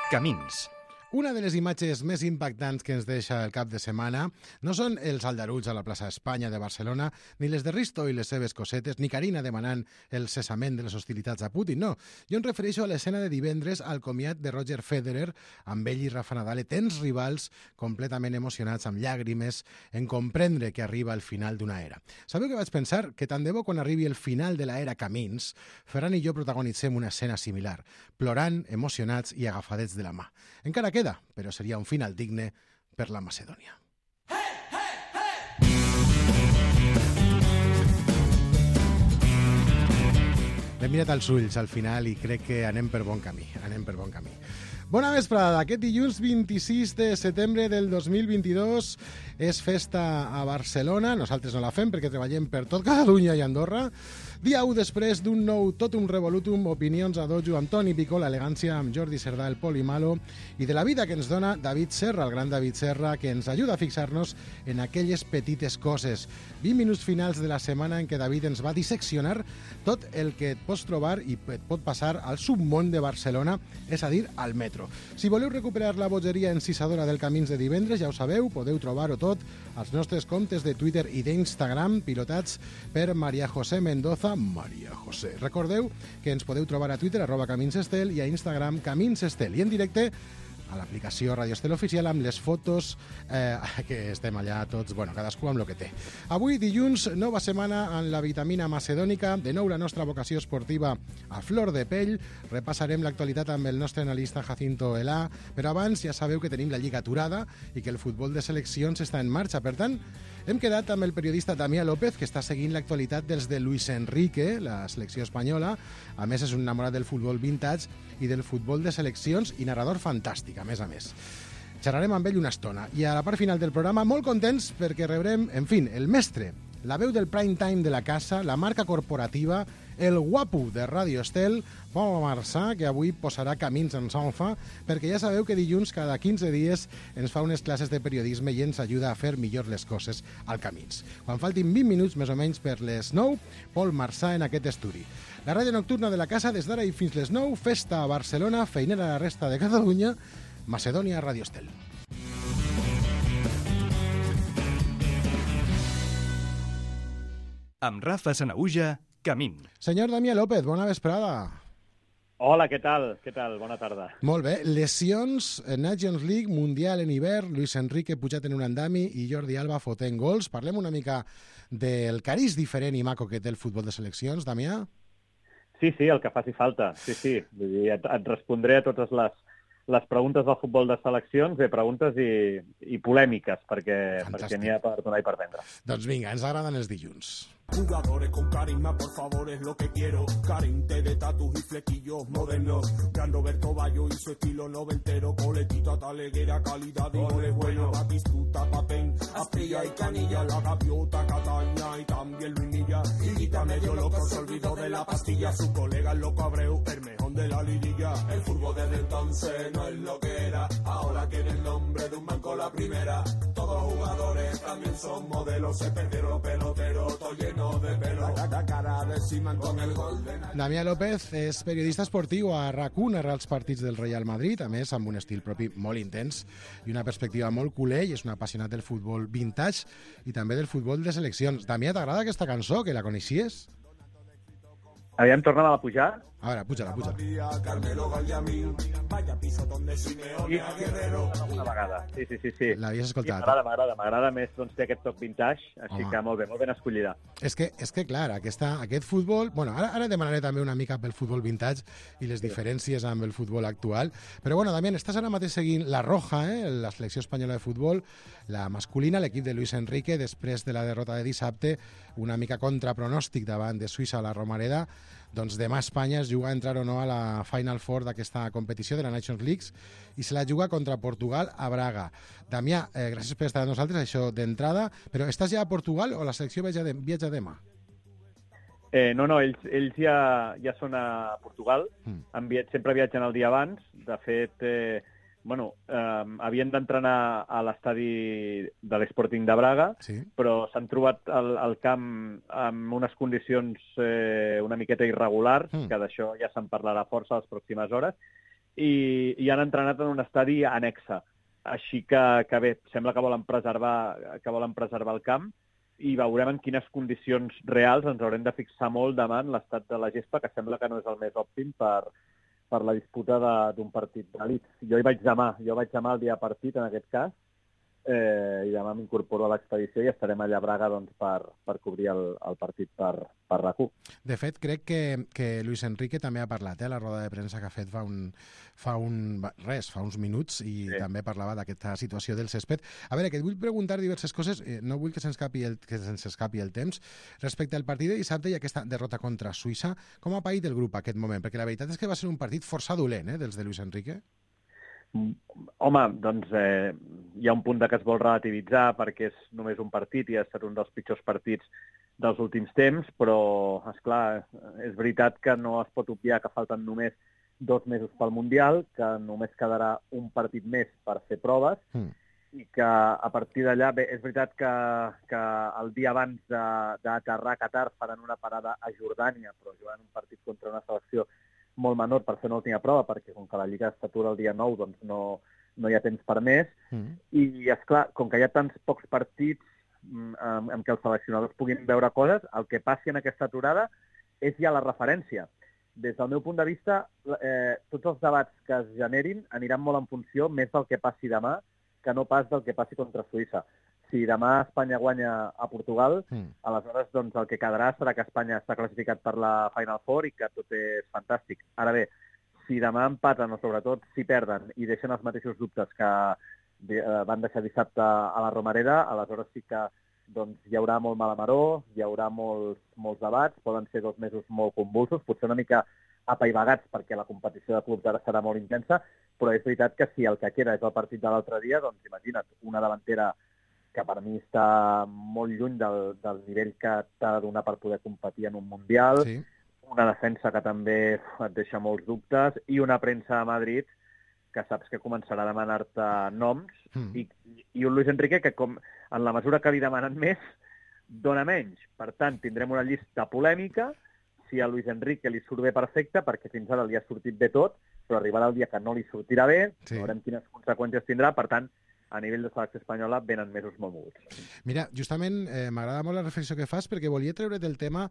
Camins. Una de les imatges més impactants que ens deixa el cap de setmana no són els aldarulls a la plaça Espanya de Barcelona, ni les de Risto i les seves cosetes, ni Carina demanant el cessament de les hostilitats a Putin, no. Jo em refereixo a l'escena de divendres al comiat de Roger Federer, amb ell i Rafa Nadal, tens rivals completament emocionats, amb llàgrimes, en comprendre que arriba el final d'una era. Sabeu què vaig pensar? Que tant de bo quan arribi el final de l'era Camins, Ferran i jo protagonitzem una escena similar, plorant, emocionats i agafadets de la mà. Encara queda, però seria un final digne per la Macedònia. L'he mirat als ulls al final i crec que anem per bon camí. Bona vesprada. Aquest dilluns 26 de setembre del 2022 és festa a Barcelona. Nosaltres no la fem perquè treballem per tot Catalunya i Andorra. Dia 1 després d'un nou Totum Revolutum, opinions a dojo amb Toni Picó, l'elegància amb Jordi Cerdà, el Pol i Malo, i de la vida que ens dona David Serra, el gran David Serra, que ens ajuda a fixar-nos en aquelles petites coses. 20 minuts finals de la setmana en què David ens va disseccionar tot el que et pots trobar i et pot passar al submón de Barcelona, és a dir, al metro. Si voleu recuperar la bogeria encisadora del Camins de divendres, ja ho sabeu, podeu trobar-ho tot als nostres comptes de Twitter i d'Instagram, pilotats per Maria José Mendoza. Maria José. Recordeu que ens podeu trobar a Twitter, @CaminsEstel, i a Instagram, CaminsEstel, i en directe a l'aplicació Radio Estel Oficial amb les fotos que estem allà tots, cadascú amb el que té. Avui, dilluns, nova setmana en la vitamina macedònica, de nou la nostra vocació esportiva a flor de pell, repassarem l'actualitat amb el nostre analista Jacinto Elà, però abans ja sabeu que tenim la Lliga aturada i que el futbol de seleccions està en marxa, per tant, hem quedat amb el periodista Damià López, que està seguint l'actualitat dels de Luis Enrique, la selecció espanyola. A més, és un enamorat del futbol vintage i del futbol de seleccions i narrador fantàstic, a més. Xerrarem amb ell una estona. I a la part final del programa, molt contents perquè rebrem, el mestre, la veu del prime time de la casa, la marca corporativa, el guapo de Radio Estel, Pol Marçà, que avui posarà camins en solfa, perquè ja sabeu que dilluns cada 15 dies ens fa unes classes de periodisme i ens ajuda a fer millor les coses al Camins. Quan faltin 20 minuts més o menys per les 9, Pol Marçà en aquest estudi. La ràdio nocturna de la casa des d'ara i fins les 9, festa a Barcelona, feinera a la resta de Catalunya, Macedònia, Radio Estel. Amb Rafa Sanaüja, Camín. Senyor Damià López, bona vesprada. Hola, què tal? Bona tarda. Molt bé. Lesions, Nations League, Mundial en hivern, Luis Enrique pujat en un andami i Jordi Alba fotent gols. Parlem una mica del cariz diferent i maco que té el futbol de seleccions, Damià? Sí, el que faci falta. Sí. Vull dir, et respondré a totes les preguntes del futbol de seleccions, preguntes i polèmiques, perquè n'hi ha per donar i per vendre. Doncs vinga, ens agraden els dilluns. Jugadores con carisma, por favor, es lo que quiero. Carinte de tatus y flequillos modernos. Gran Roberto Bayo y su estilo noventero. Coletita taleguera, calidad y goles buenos. Batistuta, Papén, Astilla y Canilla. La gaviota, Cataña y también Luinilla. Higuita medio loco, se olvidó de la pastilla. Su colega el loco Abreu, el mejor de la lirilla. El fútbol desde entonces no es lo que era. Ahora tiene el nombre de un banco la primera. Todos los jugadores también son modelos. Se perdieron los peloteros, todo lleno de pelo. La cara de Siman con el gol de... Damià López és periodista esportiu a RAC1, narra els partits del Real Madrid, a més amb un estil propi molt intens i una perspectiva molt culer, i és un apassionat del futbol vintage i també del futbol de seleccions. Damià, t'agrada aquesta cançó, que la coneixies? Aviam, torna-la a pujar. A veure, puja-la. Carmelo Gallamín, vaya piso donde Simeone a Guerrero. Una vegada, sí. L'havies escoltat? Sí, m'agrada més, té aquest toc vintage, així que molt ben escollida. És que clar, aquest futbol... Ara demanaré també una mica pel futbol vintage i les diferències amb el futbol actual, però Damià, estàs ara mateix seguint la Roja, la selecció espanyola de futbol, la masculina, l'equip de Luis Enrique, després de la derrota de dissabte, una mica contrapronòstic davant de Suïssa a la Romareda. Doncs demà Espanya es juga a entrar o no a la Final Four d'aquesta competició de la Nations League i se la juga contra Portugal a Braga. Damià, gràcies per estar amb nosaltres, això d'entrada, però estàs ja a Portugal o la selecció viatja demà? No, ells ja són a Portugal, sempre viatgen el dia abans. De fet, havien d'entrenar a l'estadi de l'Sporting de Braga, sí, però s'han trobat al camp amb unes condicions una miqueta irregulars, que d'això ja se'n parlarà força a les pròximes hores, i han entrenat en un estadi anexa. Així que bé, sembla que volen preservar el camp i veurem en quines condicions reals ens haurem de fixar molt demà en l'estat de la gespa, que sembla que no és el més òptim per la disputa d'un partit d'elit. Jo vaig demà el dia partit, en aquest cas, i demà m'incorporo a l'expedició i estarem allà a Braga doncs, per cobrir el partit per RAC1. De fet, crec que Luis Enrique també ha parlat a la roda de premsa que ha fet fa uns minuts i també parlava d'aquesta situació del césped. A veure, que et vull preguntar diverses coses, no vull que se'ns escapi el temps. Respecte al partit de dissabte i aquesta derrota contra Suïssa, com ha paït el grup aquest moment? Perquè la veritat és que va ser un partit força dolent, dels de Luis Enrique. Home, doncs hi ha un punt que es vol relativitzar perquè és només un partit i ha estat un dels pitjors partits dels últims temps, però, esclar, és veritat que no es pot obviar que falten només 2 mesos pel Mundial, que només quedarà un partit més per fer proves i que a partir d'allà, bé, és veritat que el dia abans d'aterrar a Qatar faran una parada a Jordània, però jugant un partit contra una selecció molt menor per fer una última prova, perquè com que la Lliga s'atura el dia 9, doncs no hi ha temps per més. I, esclar, com que hi ha tants pocs partits en què els seleccionadors puguin veure coses, el que passi en aquesta aturada és ja la referència. Des del meu punt de vista, tots els debats que es generin aniran molt en funció més del que passi demà que no pas del que passi contra Suïssa. Si demà Espanya guanya a Portugal, aleshores doncs, el que quedarà serà que Espanya està classificat per la Final Four i que tot és fantàstic. Ara bé, si demà empaten o sobretot si perden i deixen els mateixos dubtes que van deixar dissabte a la Romareda, aleshores sí que doncs, hi haurà molt mala maror, hi haurà molts debats, poden ser 2 mesos molt convulsos, potser una mica apaivagats perquè la competició de clubs ara serà molt intensa, però és veritat que si el que queda és el partit de l'altre dia, doncs imagina't, una davantera que per mi està molt lluny del nivell que t'ha de donar per poder competir en un Mundial, una defensa que també et deixa molts dubtes i una premsa a Madrid que saps que començarà a demanar-te noms i un Luis Enrique que, com en la mesura que li demanen més, dona menys. Per tant, tindrem una llista polèmica. Si a Luis Enrique li surt bé, perfecte, perquè fins ara li ha sortit bé tot, però arribarà el dia que no li sortirà bé, veurem quines conseqüències tindrà. Per tant, a nivell de selecció espanyola venen mesos molt moguts. Mira, justament m'agrada molt la reflexió que fas perquè volia treure del tema...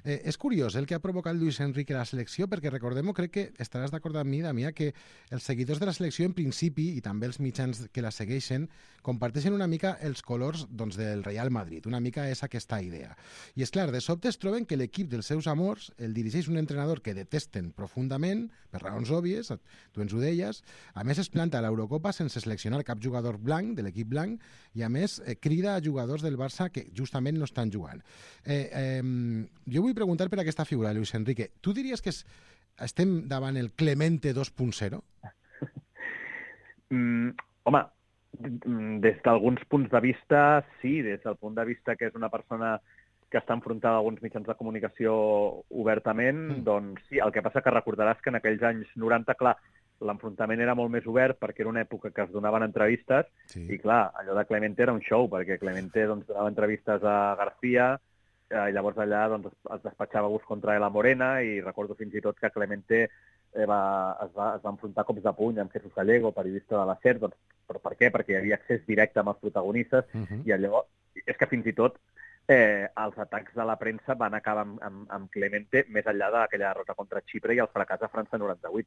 és curiós el que ha provocat Luis Enrique a la selecció, perquè recordem-ho, crec que estaràs d'acord amb mi, Damià, que els seguidors de la selecció en principi, i també els mitjans que la segueixen, comparteixen una mica els colors doncs, del Real Madrid, una mica és aquesta idea. I és clar, de sobte es troben que l'equip dels seus amors el dirigeix un entrenador que detesten profundament, per raons òbvies, tu ens ho deies, a més es planta a l'Eurocopa sense seleccionar cap jugador blanc, de l'equip blanc, i a més crida a jugadors del Barça que justament no estan jugant. Jo vull preguntar per aquesta figura, Luis Enrique. Tu diries que estem davant el Clemente 2.0? Home, des d'alguns punts de vista, sí, des del punt de vista que és una persona que està enfrontada a alguns mitjans de comunicació obertament, doncs sí, el que passa que recordaràs que en aquells anys 90, clar, l'enfrontament era molt més obert perquè era una època que es donaven entrevistes i, clar, allò de Clemente era un show, perquè Clemente doncs, donava entrevistes a García i llavors allà doncs, es despatxava bus contra la Morena i recordo fins i tot que Clemente es va enfrontar cops de puny amb Jesús Gallego, periodista de la SER, doncs, però per què? Perquè hi havia accés directe amb els protagonistes i allò, és que fins i tot els atacs de la premsa van acabar amb Clemente més enllà d'aquella derrota contra Xipre i el fracàs de França 98.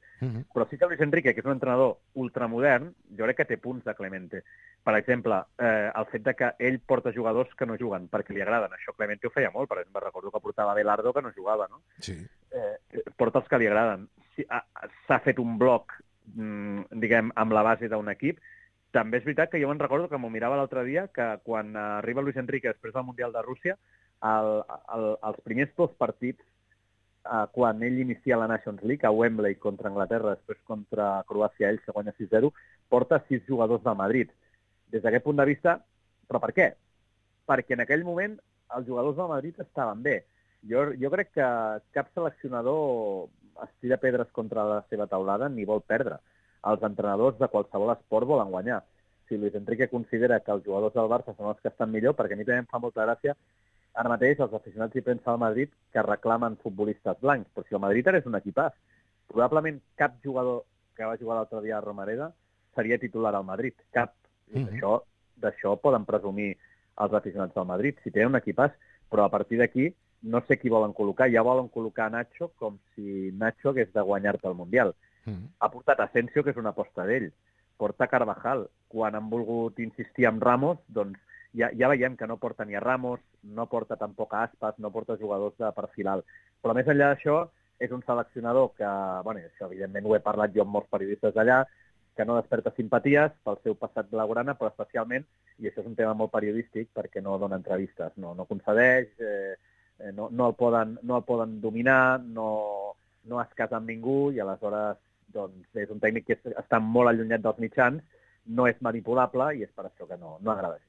Però sí que Luis Enrique, que és un entrenador ultramodern, jo crec que té punts de Clemente. Per exemple, el fet de que ell porta jugadors que no juguen perquè li agraden. Això Clemente ho feia molt. Per exemple, recordo que portava Belardo que no jugava, no? Sí. Porta els que li agraden. S'ha fet un bloc, diguem, amb la base d'un equip. També és veritat que jo me'n recordo que m'ho mirava l'altre dia, que quan arriba Luis Enrique després del Mundial de Rússia, els primers 2 partits, quan ell inicia la Nations League, a Wembley contra Anglaterra, després contra Croàcia, ell se guanya 6-0, porta 6 jugadors del Madrid. Des d'aquest punt de vista, però per què? Perquè en aquell moment els jugadors del Madrid estaven bé. Jo crec que cap seleccionador estira pedres contra la seva taulada ni vol perdre. Els entrenadors de qualsevol esport volen guanyar. Si Luis Enrique considera que els jugadors del Barça són els que estan millor, perquè a mi també em fa molta gràcia, ara mateix els aficionats i premsa del Madrid que reclamen futbolistes blancs, però si el Madrid ara és un equipàs, probablement cap jugador que va jugar l'altre dia a Romareda, seria titular al Madrid. Cap. D'això poden presumir els aficionats del Madrid. Si tenen un equipàs, però a partir d'aquí no sé qui volen col·locar. Ja volen col·locar Nacho com si Nacho hagués de guanyar-te el Mundial. Ha portat Asensio, que és una aposta d'ell. Porta Carvajal. Quan han volgut insistir amb Ramos, doncs ja veiem que no porta ni a Ramos, no porta tampoc a Aspas, no porta jugadors de perfil alt. Però més enllà d'això, és un seleccionador que, bueno, això evidentment ho he parlat jo amb molts periodistes d'allà, que no desperta simpaties pel seu passat blaugrana, però especialment, i això és un tema molt periodístic, perquè no dona entrevistes, no concedeix, no el poden dominar, no es casa amb ningú, i aleshores doncs, és un tècnic que està molt allunyat dels mitjans, no és manipulable, i és per això que no agrada gens.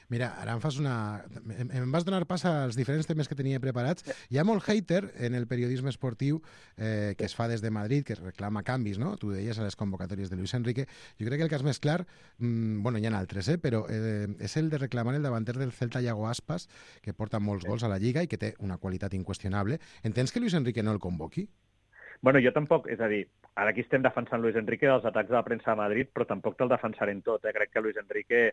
Mira, ara em vas donar pas als diferents temes que tenia preparats. Hi ha molt hater en el periodisme esportiu que es fa des de Madrid, que reclama canvis, no? Tu deies a les convocatòries de Luis Enrique. Jo crec que el cas més clar, bueno, hi ha altres, però és el de reclamar el davanter del Celta, Iago Aspas, que porta molts gols a la Lliga i que té una qualitat inqüestionable. Entens que Luis Enrique no el convoqui? Bueno, jo tampoc, és a dir, ara aquí estem defensant Luis Enrique dels atacs de la premsa de Madrid, però tampoc te'l defensaré en tot. Crec que Luis Enrique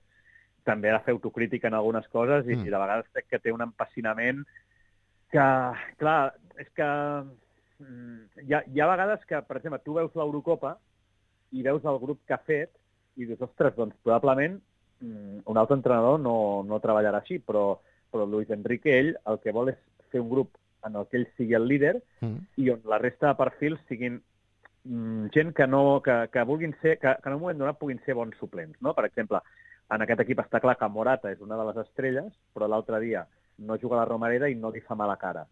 també ha de fer autocrítica en algunes coses i de vegades crec que té un empassinament que, clar, és que hi ha vegades que, per exemple, tu veus l'Eurocopa i veus el grup que ha fet i dius, ostres, doncs probablement un altre entrenador no treballarà així, però Luis Enrique, ell, el que vol és fer un grup en el que ell sigui el líder i on la resta de perfils siguin gent que vulguin ser, que en un moment donat puguin ser bons suplents, no? Per exemple, en aquest equip està clar que Morata és una de les estrelles, però l'altre dia no juga a la Romareda i no li fa mala cara.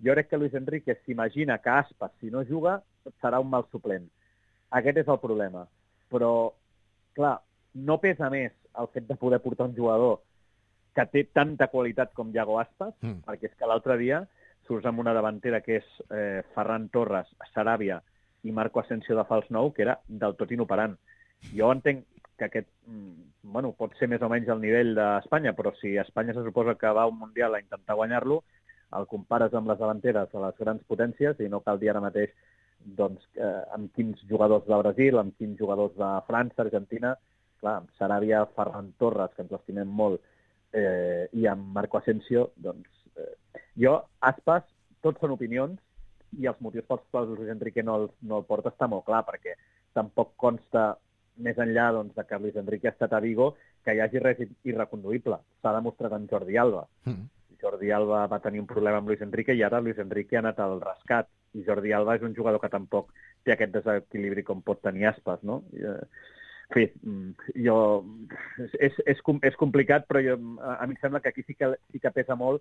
Jo crec que Luis Enrique s'imagina que Aspas, si no juga, serà un mal suplent. Aquest és el problema. Però, clar, no pesa més el fet de poder portar un jugador que té tanta qualitat com Iago Aspas, perquè és que l'altre dia surts amb una davantera que és Ferran Torres, Sarabia i Marco Asensio de fals 9, que era del tot inoperant. Jo entenc que aquest, bueno, pot ser més o menys al nivell d'Espanya, però si Espanya se suposa que va a un Mundial a intentar guanyar-lo, el compares amb les davanteres de les grans potències i no cal dir ara mateix doncs, amb quins jugadors de Brasil, amb quins jugadors de França, Argentina, clar, amb Sarabia, Ferran Torres, que ens l'estimem molt, i amb Marco Asensio, doncs, jo, Aspas, tots són opinions, i els motius pels quals Luis Enrique no el porta està molt clar, perquè tampoc consta més enllà doncs, de que Luis Enrique ha estat a Vigo, que hi hagi res irreconduïble. S'ha demostrat en Jordi Alba. Jordi Alba va tenir un problema amb Luis Enrique i ara Luis Enrique ha anat al rescat. I Jordi Alba és un jugador que tampoc té aquest desequilibri com pot tenir Aspas, no? En fi, és complicat, però a mi em sembla que aquí sí que pesa molt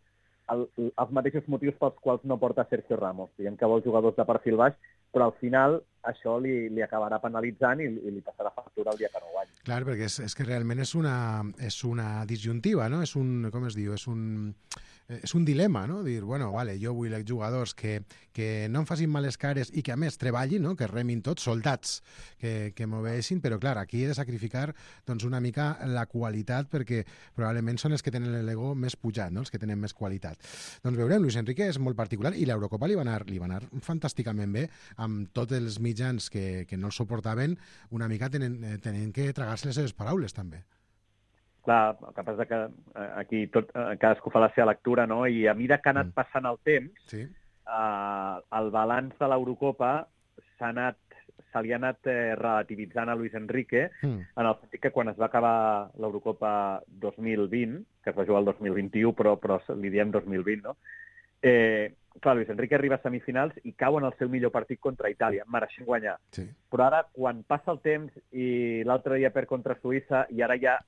els mateixos motius pels quals no porta Sergio Ramos. Diguem que vol jugadors de perfil baix, però al final això li acabarà penalitzant i li passarà factura el dia que no guanyi. Clar, perquè és que realment és una disjuntiva, no? Com es diu? És un dilema, no? Dir, bueno, vale, jo vull jugadors que no em facin males cares i que a més treballin, no? Que remin tots, soldats que m'obeeixin, però clar, aquí he de sacrificar doncs, una mica la qualitat perquè probablement són els que tenen l'ego més pujat, no? Els que tenen més qualitat. Doncs veurem, Luis Enrique és molt particular i l'Eurocopa li va anar fantàsticament bé amb tots els mitjans que no el suportaven, una mica tenen que tragar-se les seves paraules també. Clar, el que passa que aquí cadascú fa la seva lectura, no? I a mesura que ha anat passant el temps, el balanç de l'Eurocopa se li ha anat relativitzant a Luis Enrique, en el sentit que quan es va acabar l'Eurocopa 2020, que es va jugar el 2021, però li diem 2020, no? Clar, Luis Enrique arriba a semifinals i cau en el seu millor partit contra Itàlia, mereixent guanyar. Sí. Però ara, quan passa el temps i l'altre dia perd contra Suïssa i ara ja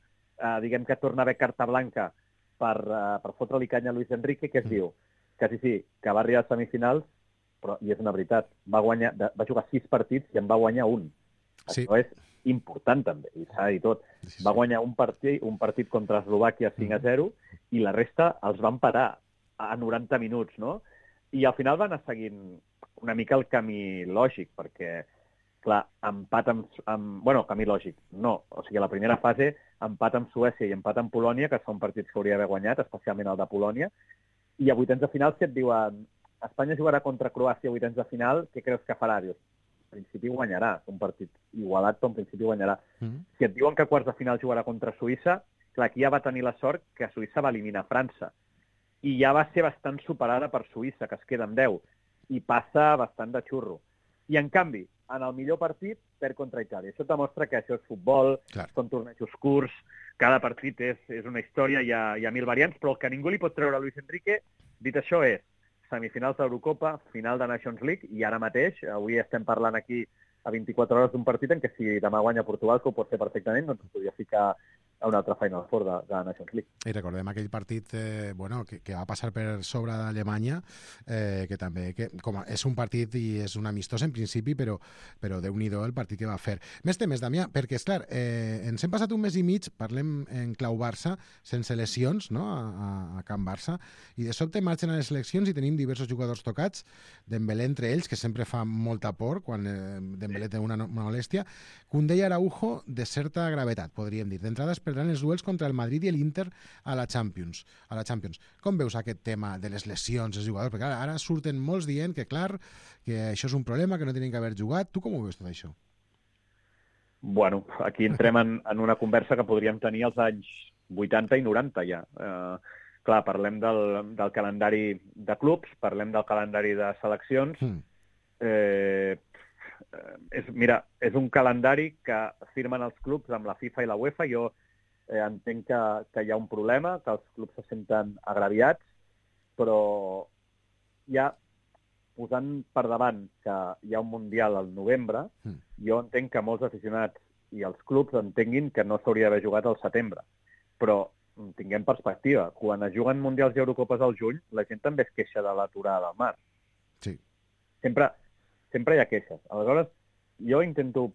diguem que torna a haver carta blanca per fotre-li canya a Luis Enrique, que es diu que sí, que va arribar a semifinals, però, i és una veritat, va jugar 6 partits i en va guanyar un. Sí. Això és important també, i s'ha de dir tot. Sí. Va guanyar un partit contra Eslovàquia 5-0 i la resta els van parar a 90 minuts, no? I al final van anar seguint una mica el camí lògic, perquè clar, empat camí lògic, no. O sigui, a la primera fase, empat amb Suècia i empat amb Polònia, que són partits que hauria d'haver guanyat, especialment el de Polònia, i a vuitens de final, si et diuen Espanya jugarà contra Croàcia a vuitens de final, què creus que farà? Dius, principi guanyarà. Un partit igualat, però en principi guanyarà. Si et diuen que a quarts de final jugarà contra Suïssa, clar, aquí ja va tenir la sort que Suïssa va eliminar França. I ja va ser bastant superada per Suïssa, que es queda amb 10. I passa bastant de xurro. I, en canvi, en el millor partit, perd contra Itàlia. Això demostra que això és futbol, són tornejos curts, cada partit és una història, hi ha 1000 variants, però el que ningú li pot treure a Luis Enrique, dit això, és semifinals d'Eurocopa, final de Nations League, i ara mateix, avui estem parlant aquí a 24 hores d'un partit en què si demà guanya Portugal, que ho pot fer perfectament, doncs podria ficar a una altra Final Four de Nations League. I recordem aquell partit que va passar per sobre d'Alemanya, que també és un partit i és un amistós en principi, però Déu-n'hi-do el partit que va fer. Més temes, Damià, perquè, esclar, ens hem passat un mes i mig, parlem en clau Barça, sense lesions, no?, a Camp Barça, i de sobte marxen a les seleccions i tenim diversos jugadors tocats, Dembélé entre ells, que sempre fa molta por quan Dembélé té una molèstia, Koundé i Araujo de certa gravetat, podríem dir. D'entrada es perdran els duels contra el Madrid i l'Inter a la Champions. Com veus aquest tema de les lesions dels jugadors? Perquè ara surten molts dient que, clar, que això és un problema, que no tenen que haver jugat. Tu com ho veus tot això? Bueno, aquí entrem en una conversa que podríem tenir als anys 80 i 90 ja. Clar, parlem del calendari de clubs, parlem del calendari de seleccions. Mira, és un calendari que firmen els clubs amb la FIFA i la UEFA. Jo entenc que hi ha un problema, que els clubs se senten agraviats, però ja posant per davant que hi ha un Mundial al novembre, jo entenc que molts aficionats i els clubs entenguin que no s'hauria d'haver jugat al setembre. Però tinguem perspectiva. Quan es juguen Mundials i Eurocopes al juny, la gent també es queixa de l'aturada del mar. Sí. Sempre hi ha queixes. Aleshores, jo intento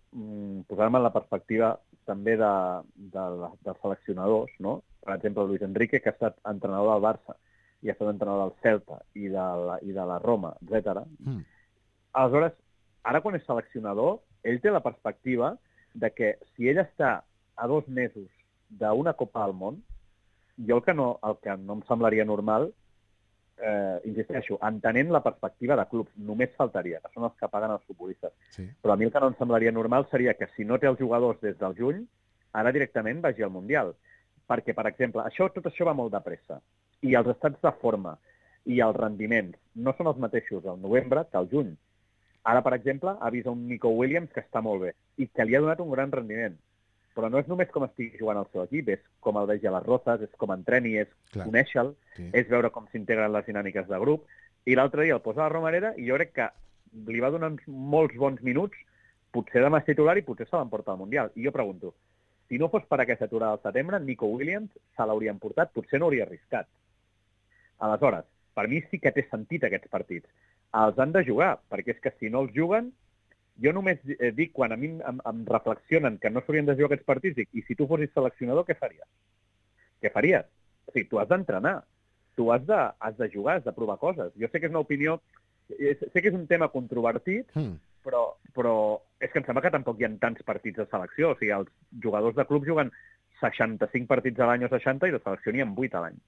posar-me en la perspectiva també dels seleccionadors, no? Per exemple, Luis Enrique, que ha estat entrenador del Barça i ha estat entrenador del Celta i de la Roma, etc. Aleshores, ara quan és seleccionador, ell té la perspectiva de que si ell està a 2 mesos d'una Copa del Món, jo el que no em semblaria normal, insisteixo, entenent la perspectiva de clubs, només faltaria, que són els que paguen els futbolistes. Sí. Però a mi el que no em semblaria normal seria que si no té els jugadors des del juny, ara directament vagi al Mundial. Perquè, per exemple, tot això va molt de pressa. I els estats de forma i els rendiments no són els mateixos al novembre que al juny. Ara, per exemple, ha vist un Nico Williams que està molt bé i que li ha donat un gran rendiment. Però no és només com estigui jugant al seu equip, és com el vegi a les Rozas, és com entreni, és conèixer-lo, és veure com s'integren les dinàmiques de grup. I l'altre dia el posa a la Romareda i jo crec que li va donar molts bons minuts, potser demà és titular i potser se l'emporta al Mundial. I jo pregunto, si no fos per aquesta aturada al setembre, Nico Williams se l'haurien portat, potser no hauria arriscat. Aleshores, per mi sí que té sentit aquests partits. Els han de jugar, perquè és que si no els juguen, jo només dic, quan a mi em reflexionen que no s'haurien de jugar aquests partits, dic, i si tu fossis seleccionador, què faries? Què faries? O sigui, tu has d'entrenar, tu has de jugar, has de provar coses. Jo sé que és una opinió, sé que és un tema controvertit, però és que em sembla que tampoc hi ha tants partits de selecció. O sigui, els jugadors de club juguen 65 partits a l'any o 60 i de selecció n'hi ha 8 a l'any.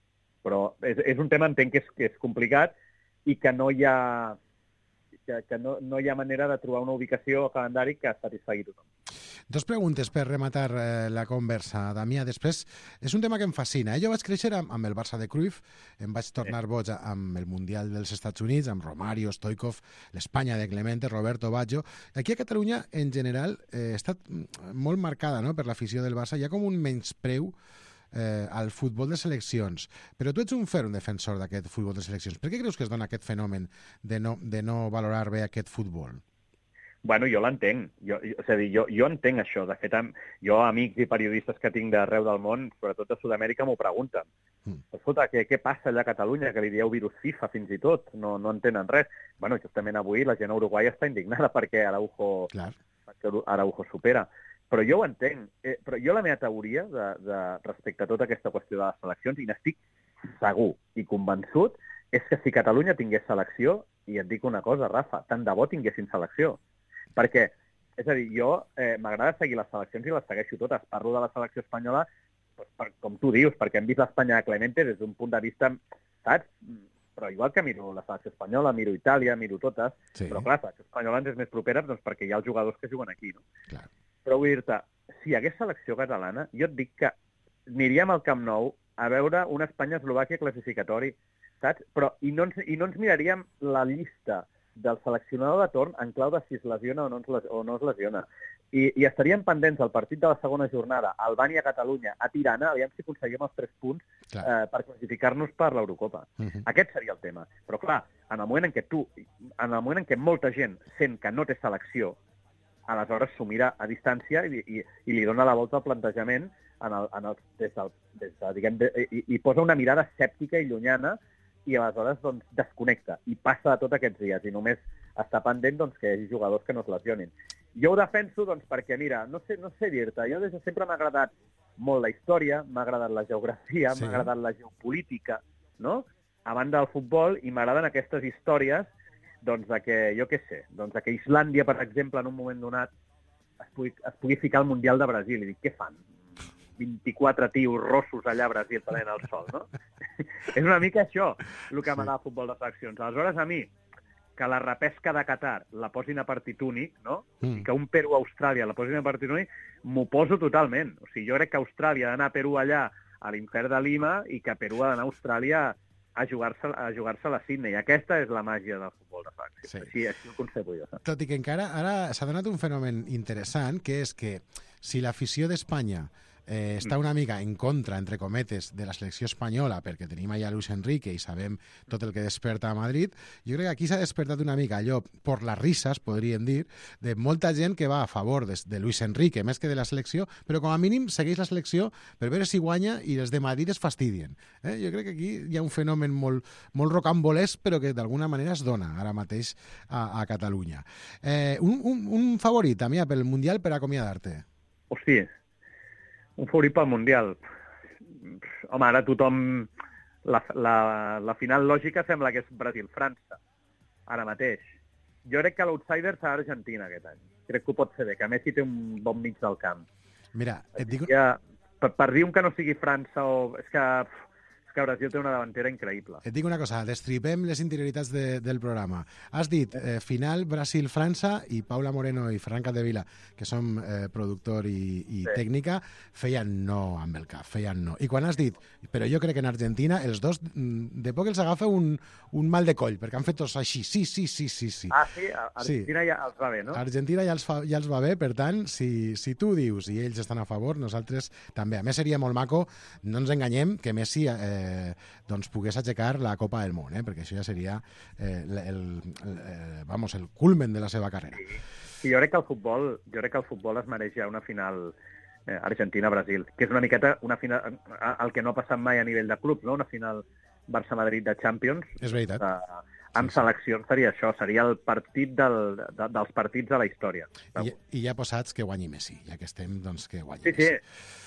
Però és un tema, entenc que és complicat i que no hi ha manera de trobar una ubicació o calendari que satisfagui tothom. 2 preguntes per rematar la conversa, Damià. Després, és un tema que em fascina. Jo vaig créixer amb el Barça de Cruyff, em vaig tornar boig amb el Mundial dels Estats Units, amb Romario, Stoichkov, l'Espanya de Clemente, Roberto Baggio. Aquí a Catalunya, en general, ha estat molt marcada, no?, per l'afició del Barça. Hi ha com un menyspreu al futbol de seleccions. Però tu ets un defensor d'aquest futbol de seleccions. Per què creus que es dona aquest fenomen de no valorar bé aquest futbol? Bueno, jo l'entenc. És a dir, jo entenc això. De fet, jo, amics i periodistes que tinc d'arreu del món, sobretot de Sud-amèrica, m'ho pregunten. Escolta, què passa allà a Catalunya, que li dieu virus FIFA fins i tot? No entenen res. Bueno, justament avui la gent a Uruguai està indignada perquè Araujo supera. Però jo ho entenc. Però jo la meva teoria respecte a tota aquesta qüestió de les seleccions, i n'estic segur i convençut, és que si Catalunya tingués selecció, i et dic una cosa, Rafa, tant de bo tinguessin selecció. Perquè, és a dir, jo m'agrada seguir les seleccions i les segueixo totes. Parlo de la selecció espanyola, com tu dius, perquè hem vist l'Espanya de Clemente des d'un punt de vista, saps? però igual que miro la selecció espanyola, miro Itàlia, miro totes, però clar, la selecció espanyola ens és més propera doncs, perquè hi ha els jugadors que juguen aquí, no? Clar. Però vull dir-te, si hi hagués selecció catalana, jo et dic que aniríem al Camp Nou a veure una Espanya-Eslovàquia classificatori, saps? Però, i no ens miraríem la llista del seleccionador de torn en clau de si es lesiona o no es lesiona. I estaríem pendents del partit de la segona jornada, Albània-Catalunya, a Tirana, aviam si aconseguim els 3 punts per classificar-nos per l'Eurocopa. Aquest seria el tema. Però clar, en el moment en què molta gent sent que no té selecció, aleshores s'ho mira a distància i li dona la volta al plantejament i posa una mirada escèptica i llunyana i aleshores doncs, desconnecta i passa de tot aquests dies i només està pendent doncs, que hi hagi jugadors que no es lesionin. Jo ho defenso doncs, perquè, mira, no sé dir-te, jo des de sempre m'ha agradat molt la història, m'ha agradat la geografia, m'ha agradat la geopolítica, no? A banda del futbol, i m'agraden aquestes històries doncs, de que, jo què sé, doncs, de que Islàndia, per exemple, en un moment donat es pugui ficar al Mundial de Brasil. I dic, què fan? 24 tios rossos allà a Brasil prenent el sol, no? És una mica això el que m'agrada el futbol de seleccions. Aleshores, a mi, que la repesca de Qatar la posin a partit únic, no? I que un Perú-Austràlia la posin a partit únic, m'ho poso totalment. O sigui, jo crec que Austràlia ha d'anar a Perú allà, a l'infern de Lima, i que Perú ha d'anar a Austràlia a jugar-se la Sydney. Aquesta és la màgia del futbol de seleccions. Així ho concebo jo. Tot i que encara ara s'ha donat un fenomen interessant, que és que si l'afició d'Espanya està una mica en contra, entre cometes, de la selecció espanyola, perquè tenim allà Luis Enrique i sabem tot el que desperta a Madrid, jo crec que aquí s'ha despertat una mica allò, per les risses, podríem dir, de molta gent que va a favor de Luis Enrique, més que de la selecció, però com a mínim segueix la selecció per veure si guanya i els de Madrid es fastidien. Jo crec que aquí hi ha un fenomen molt rocambolesc, però que d'alguna manera es dona ara mateix a Catalunya. Un favorit, Damià, pel Mundial per acomiadar-te? Hòstia, un favorit pel Mundial. Home, ara tothom... La final lògica sembla que és Brasil-França, ara mateix. Jo crec que l'outsider serà Argentina aquest any. Crec que ho pot fer bé, que Messi té un bon mig del camp. Mira, et dic... Per dir un que no sigui França o... És que Brasil té una davantera increïble. Et dic una cosa, destripem les interioritats del programa. Has dit final Brasil-França i Paula Moreno i Ferran Capdevila, que som productor i tècnica, feien no amb el cap, feien no. I quan has dit, però jo crec que en Argentina, els dos, de poc els agafa un mal de coll, perquè han fet tots així, sí. Ah, sí? Argentina ja els va bé, no? Argentina ja els va bé, per tant, si tu dius i ells estan a favor, nosaltres també. A més, seria molt maco, no ens enganyem, que Messi doncs pogués aixecar la Copa del Món, perquè això ja seria el culmen de la seva carrera. Sí, jo crec que el futbol es mereix ja una final Argentina-Brasil, que és una miqueta una final, el que no ha passat mai a nivell de club, no? Una final Barça-Madrid de Champions. És veritat. Amb seleccions seria això, seria el partit dels partits de la història. I ja posats que guanyi Messi, ja que estem, doncs que guanyi Messi. Sí,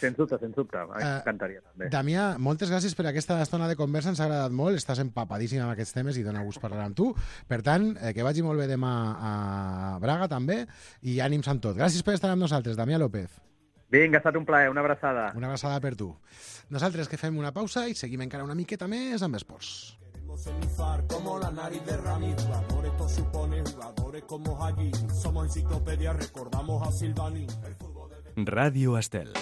sens dubte. M'encantaria també. Damià, moltes gràcies per aquesta estona de conversa, ens ha agradat molt, estàs empapadíssim amb aquests temes i dona gust parlar amb tu. Per tant, que vagi molt bé demà a Braga també i ànims amb tot. Gràcies per estar amb nosaltres, Damià López. Vinga, ha estat un plaer, una abraçada. Una abraçada per tu. Nosaltres que fem una pausa i seguim encara una miqueta més amb esports. Como la nariz de Rami, jugador, esto supone jugadores como allí. Somos enciclopedia, recordamos a Silvani. Ràdio Estel.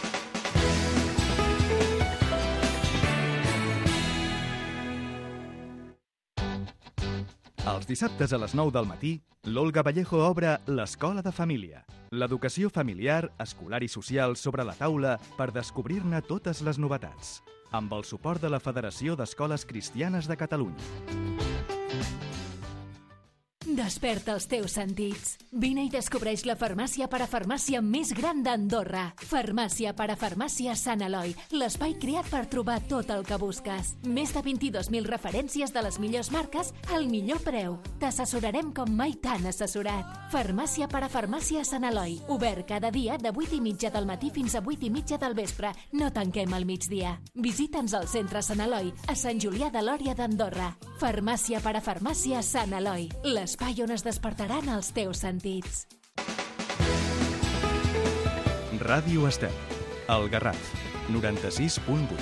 Els dissabtes a les 9 del matí, l'Olga Vallejo obre l'Escola de Família. L'educació familiar, escolar i social sobre la taula per descobrir-ne totes les novetats. Amb el suport de la Federació d'Escoles Cristianes de Catalunya. Desperta els teus sentits. Vine i descobreix la farmàcia parafarmàcia més gran d'Andorra. Farmàcia parafarmàcia Sant Eloi, l'espai creat per trobar tot el que busques. Més de 22.000 referències de les millors marques al millor preu. T'assessorarem com mai t'han assessorat. Farmàcia parafarmàcia Sant Eloi, obert cada dia de 8:30 del matí fins a 8:30 del vespre. No tanquem al migdia. Visita'ns al centre Sant Eloi, a Sant Julià de Lòria d'Andorra. Farmàcia parafarmàcia Sant Eloi, l'espai on es despertaran els teus sentits. Ràdio Estel, El Garraf, 96.8.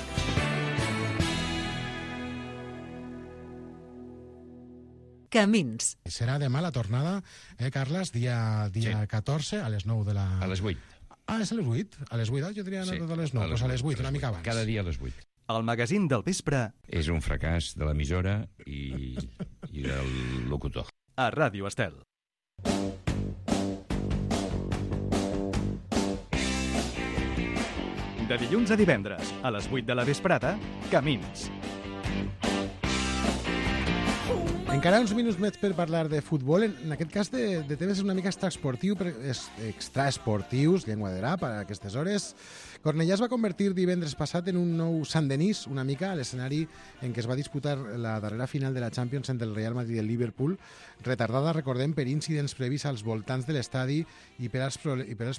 Camins. Serà demà la tornada, Carles, dia 14, a les 9 de la... A les 8. Ah, és a les 8? A les 8, jo diria a les 9, doncs a les 8, una mica abans. Cada dia a les 8. El magazín del vespre És un fracàs de l'emissora i del locutor. a Ràdio Estel. De dilluns a divendres, a les 8 de la vesprada, Camins. Encara uns minuts més per parlar de futbol, en aquest cas de temes una mica extraesportius, llengua de rap, a aquestes hores. Cornellà es va convertir divendres passat en un nou Sant Denis, una mica, a l'escenari en què es va disputar la darrera final de la Champions entre el Real Madrid i el Liverpool, retardada, recordem, per incidents previs als voltants de l'estadi i per als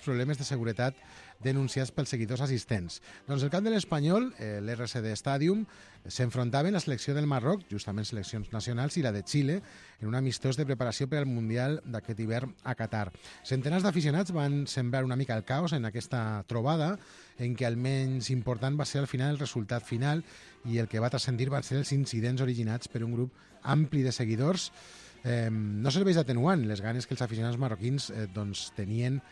problemes de seguretat denunciats pels seguidors assistents. Doncs el camp de l'Espanyol, l'RCD Stadium, s'enfrontaven la selecció del Marroc, justament seleccions nacionals, i la de Xile, en un amistós de preparació per al Mundial d'aquest hivern a Qatar. Centenars d'aficionats van sembrar una mica el caos en aquesta trobada, en què el menys important va ser al final el resultat final i el que va transcendir van ser els incidents originats per un grup ampli de seguidors. No serveix d'atenuant les ganes que els aficionats marroquins tenien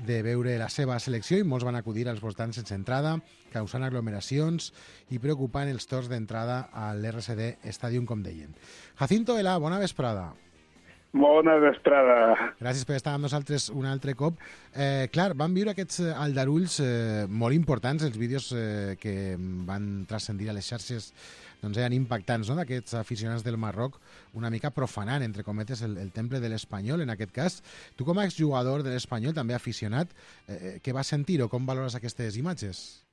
de veure la seva selecció i molts van acudir als voltants sense entrada, causant aglomeracions i preocupant els torns d'entrada a l'RCD Stadium, com deien. Jacinto Elà, bona vesprada. Bona vesprada. Gràcies per estar amb nosaltres un altre cop. Clar, vam viure aquests aldarulls molt importants, els vídeos que van transcendir a les xarxes eren impactants, no?, d'aquests aficionats del Marroc, una mica profanant, entre cometes, el temple de l'Espanyol, en aquest cas. Tu, com a exjugador de l'Espanyol, també aficionat, què vas sentir o com valores aquestes imatges?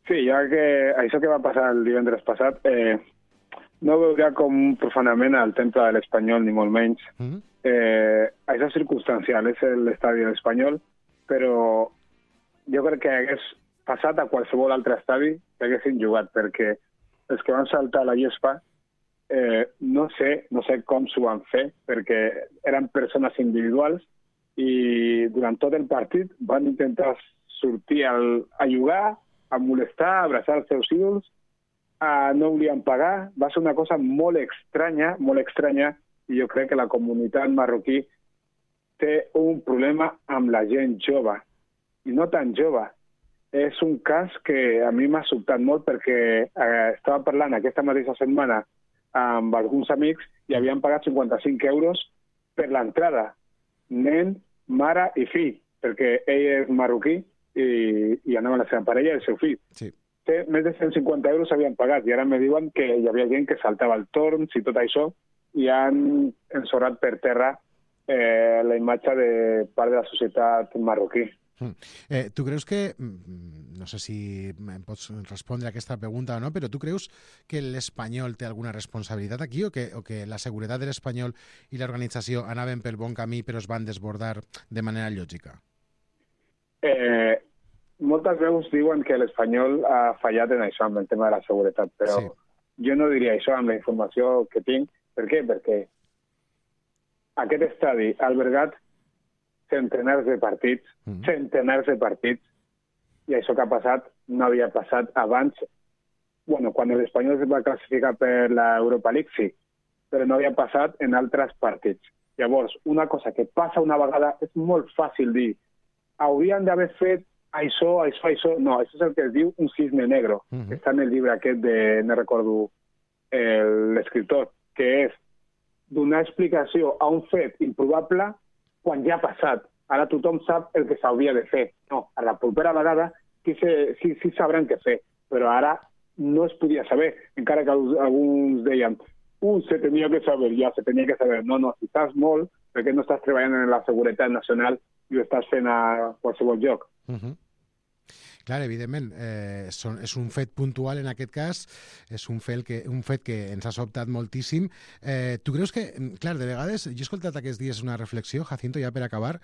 Sí, jo que això que va passar el divendres passat no veuria com un profanament al temple de l'Espanyol, ni molt menys. Això és circumstancial, és l'estadi de l'Espanyol, però jo crec que hagués passat a qualsevol altre estadi que haguessin jugat, perquè els que van saltar a la gespa no sé com s'ho van fer, perquè eren persones individuals i durant tot el partit van intentar sortir a jugar, a molestar, a abraçar els seus ídols, no volien pagar. Va ser una cosa molt estranya, i jo crec que la comunitat marroquí té un problema amb la gent jove, i no tan jove. És un cas que a mi m'ha sobtat molt perquè estava parlant aquesta mateixa setmana amb alguns amics i havien pagat 55 euros per l'entrada. Nen, mare i fill, perquè ell és marroquí i anava la seva parella i el seu fill. Sí. Més de 150 euros havien pagat i ara me diuen que hi havia gent que saltava el torns i tot això i han ensorrat per terra la imatge de part de la societat marroquí. Tu creus que, no sé si em pots respondre a aquesta pregunta o no, però tu creus que l'Espanyol té alguna responsabilitat aquí o que la seguretat de l'Espanyol i l'organització anaven pel bon camí però es van desbordar de manera lògica? Moltes veus diuen que l'Espanyol ha fallat en això, amb el tema de la seguretat, però jo no diria això amb la informació que tinc. Per què? Perquè aquest estadi ha albergat centenars de partits, i això que ha passat no havia passat abans. Bueno, quan l'Espanyol es va classificar per l'Europa League, sí, però no havia passat en altres partits. Llavors, una cosa que passa una vegada és molt fàcil dir. Haurien d'haver fet això. No, això és el que es diu un cisne negro, que està en el llibre aquest de, no recordo l'escriptor, que és donar explicació a un fet improbable quan ja ha passat. Ara tothom sap el que s'hauria de fer. No, a la propera vegada sí sabran què fer, però ara no es podia saber, encara que alguns deien se tenia que saber, se tenia que saber. No, si estàs molt, perquè no estàs treballant en la seguretat nacional i ho estàs fent a qualsevol lloc. Clar, evidentment, és un fet puntual en aquest cas, és un fet que ens ha sobtat moltíssim. Tu creus que, clar, de vegades, jo he escoltat aquests dies una reflexió, Jacinto, ja per acabar,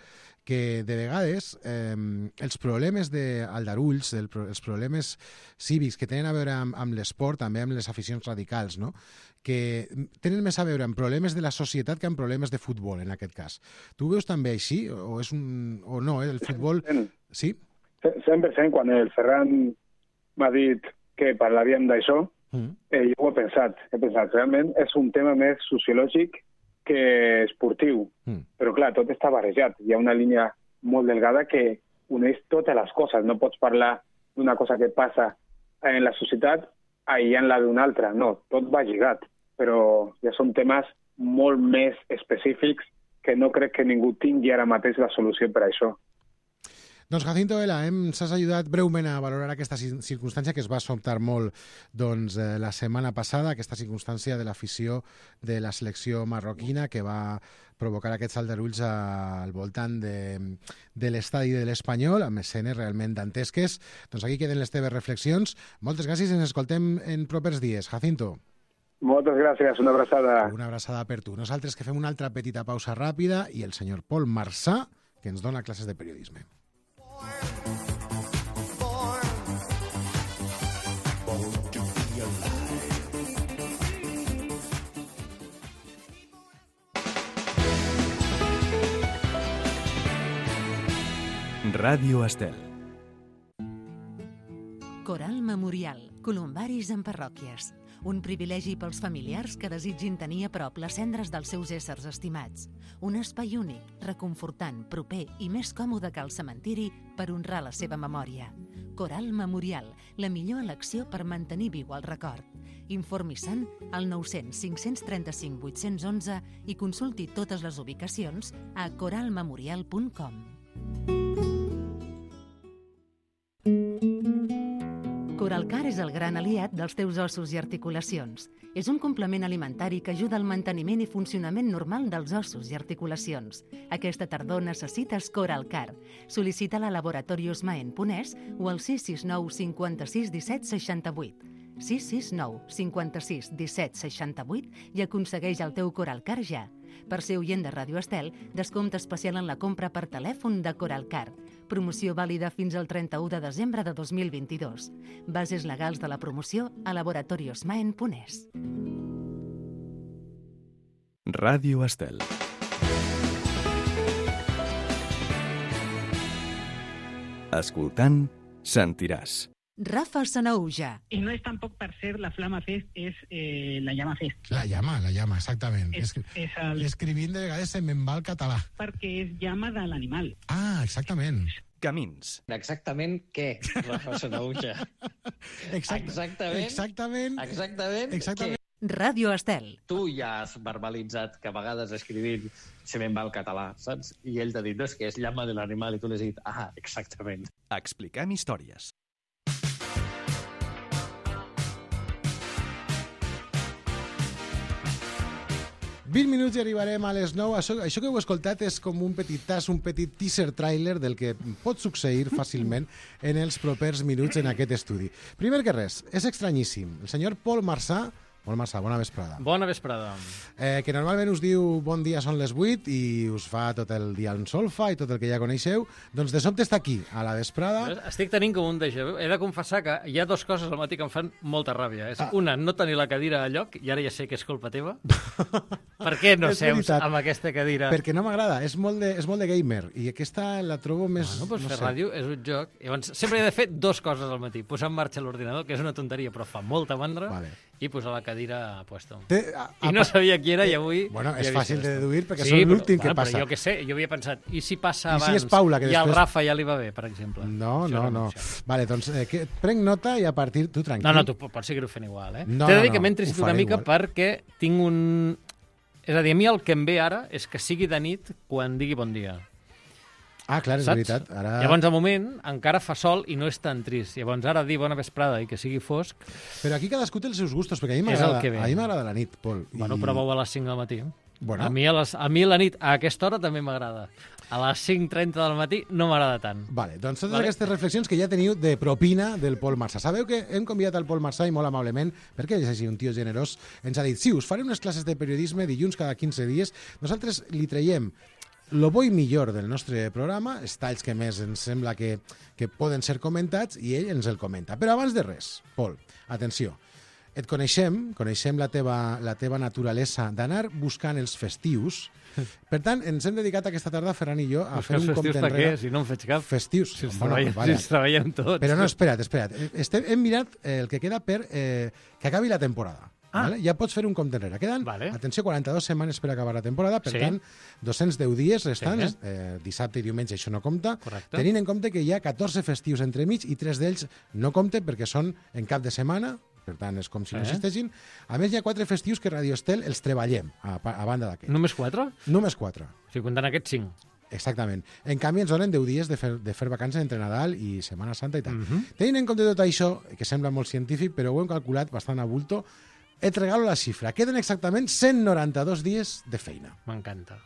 que de vegades els problemes d'aldarulls, els problemes cívics que tenen a veure amb l'esport, també amb les aficions radicals, no?, que tenen més a veure amb problemes de la societat que amb problemes de futbol, en aquest cas. Tu ho veus també així? O no, el futbol... Sí? 100%, quan el Ferran m'ha dit que parlaríem d'això, jo ho he pensat. Realment és un tema més sociològic que esportiu. Però, clar, tot està barrejat. Hi ha una línia molt delgada que uneix totes les coses. No pots parlar d'una cosa que passa en la societat aïllant-la d'una altra. No, tot va lligat. Però ja són temes molt més específics que no crec que ningú tingui ara mateix la solució per a això. Doncs Jacinto Vela, ens has ajudat breument a valorar aquesta circumstància que es va sobtar molt la setmana passada, aquesta circumstància de l'afició de la selecció marroquina que va provocar aquests aldarulls al voltant de l'estadi de l'Espanyol, amb escenes realment dantesques. Doncs aquí queden les teves reflexions. Moltes gràcies i ens escoltem en propers dies. Jacinto. Moltes gràcies, una abraçada. Una abraçada per tu. Nosaltres que fem una altra petita pausa ràpida i el senyor Pol Marsà, que ens dona classes de periodisme. Ràdio Estel. Coral Memorial, columbaris en parròquies. Un privilegi pels familiars que desitgin tenir a prop les cendres dels seus éssers estimats. Un espai únic, reconfortant, proper i més còmode que el cementiri per honrar la seva memòria. Coral Memorial, la millor elecció per mantenir viu el record. Informi-se'n al 900 535 811 i consulti totes les ubicacions a coralmemorial.com. Coralcar és el gran aliat dels teus ossos i articulacions. És un complement alimentari que ajuda al manteniment i funcionament normal dels ossos i articulacions. Aquesta tardor necessites Coralcar. Sol·licita-la a Laboratorios Maen Ponès o al 669 56 17 68. 669 56 17 68 i aconsegueix el teu Coralcar ja. Per ser oient de Ràdio Estel, descompte especial en la compra per telèfon de Coralcar. Promoció vàlida fins al 31 de desembre de 2022. Bases legals de la promoció a Laboratorios Maen Ponès. Ràdio Estel. Escoltant, sentiràs. Rafa Sanauja. Y no es tampoco per ser la Flama Fest, es la Llama Fest. La llama, exactament. Escrivint de vegades se'n me'n va el català. Perquè és llama de l'animal. Ah, exactament. Camins. Exactament què, Rafa Sanauja? Exactament. Ràdio Estel. Tu ja has verbalitzat que a vegades escrivint se me'n va el català, saps? I ell t'ha dit, no, és que és llama de l'animal, i tu l'has dit, ah, exactament. Expliquem històries. ...20 minuts i arribarem a les 9. Això que heu escoltat és com un petit teaser trailer del que pot succeir fàcilment en els propers minuts en aquest estudi. Primer que res, és estranyíssim. El senyor Pol Marsà, bona vesprada. Bona vesprada. Que normalment us diu bon dia, són les 8 i us fa tot el dia en solfa i tot el que ja coneixeu, doncs de sobte està aquí, a la vesprada. Estic tenint com un déjà vu. He de confessar que hi ha dues coses al matí que em fan molta ràbia. Una, no tenir la cadira a lloc, i ara ja sé que és culpa teva. Per què no seus amb aquesta cadira? Perquè no m'agrada, és molt de gamer, i aquesta la trobo més... Bueno, fer ràdio és un joc. Llavors, sempre he de fer dues coses al matí. Posar en marxa l'ordinador, que és una tonteria, però fa molta mandra, i posar la cadira a puesto. I no sabia qui era i avui... Bueno, és fàcil de deduir perquè són l'últim que passa. Però jo què sé, jo havia pensat, i si passa abans i si Paula, i al Rafa ja li va bé, per exemple? No. Vale, doncs prenc nota i a partir... Tu tranquil. No, tu pots seguir-ho fent igual, eh? T'he de dir que m'he entristit una mica perquè tinc un... És a dir, a mi el que em ve ara és que sigui de nit quan digui bon dia. Ah, clar, és veritat. Ara... Llavors, de moment, encara fa sol i no és tan trist. Llavors, ara dir bona vesprada i que sigui fosc... Però aquí cadascú té els seus gustos, perquè a mi m'agrada la nit, Pol. Bueno, prova-ho a les 5 del matí. Bueno. A mi la nit, a aquesta hora, també m'agrada. A les 5:30 del matí no m'agrada tant. Vale, doncs totes aquestes reflexions que ja teniu de propina del Pol Marsà. Sabeu que hem convidat el Pol Marsà i molt amablement, perquè ell és així un tio generós, ens ha dit, sí, us faré unes classes de periodisme dilluns cada 15 dies. Nosaltres li traiem lo bo i millor del nostre programa, els talls que més ens sembla que poden ser comentats, i ell ens el comenta. Però abans de res, Pol, atenció, et coneixem la teva naturalesa d'anar buscant els festius. Per tant, ens hem dedicat aquesta tarda, Ferran i jo, a fer un compte enrere. Festius per què? Si no en faig cap. Festius. Si els treballem tots. Però no, espera't. Hem mirat el que queda per que acabi la temporada. Vale? Ja pots fer un compte enrere. Queden, atenció, 42 setmanes per acabar la temporada, per tant, 210 dies restants, dissabte i diumenge això no compta, tenint en compte que hi ha 14 festius entremig i 3 d'ells no compten perquè són en cap de setmana, per tant, és com si no existeixin. A més, hi ha 4 festius que Radio Estel els treballem, a banda d'aquests. Només 4? Només 4. O sigui, comptant aquests 5. Exactament. En canvi, ens donen 10 dies de fer vacances entre Nadal i Setmana Santa i tal. Tenint en compte tot això, que sembla molt científic, però ho hem calculat bastant a bulto, et regalo la xifra. Queden exactament 192 dies de feina. M'encanta.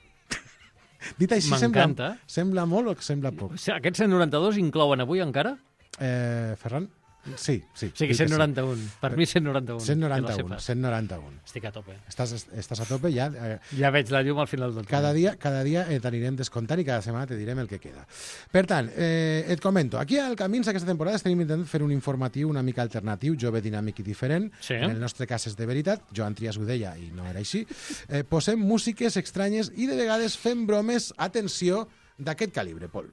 Dit així, sembla molt o sembla poc? O sigui, aquests 192 inclouen avui encara? Ferran? Sí. O sigui, 191. Per mi 191. 191. Estic a tope. Estàs a tope, ja... Ja veig la llum al final del túnel. Cada dia t'anirem descomptant i cada setmana te direm el que queda. Per tant, et comento, aquí al Camins aquesta temporada estem intentant fer un informatiu una mica alternatiu, jove, dinàmic i diferent. En el nostre cas és de veritat, Joan Trias ho deia i no era així. Posem músiques estranyes i de vegades fem bromes, atenció, d'aquest calibre, Pol.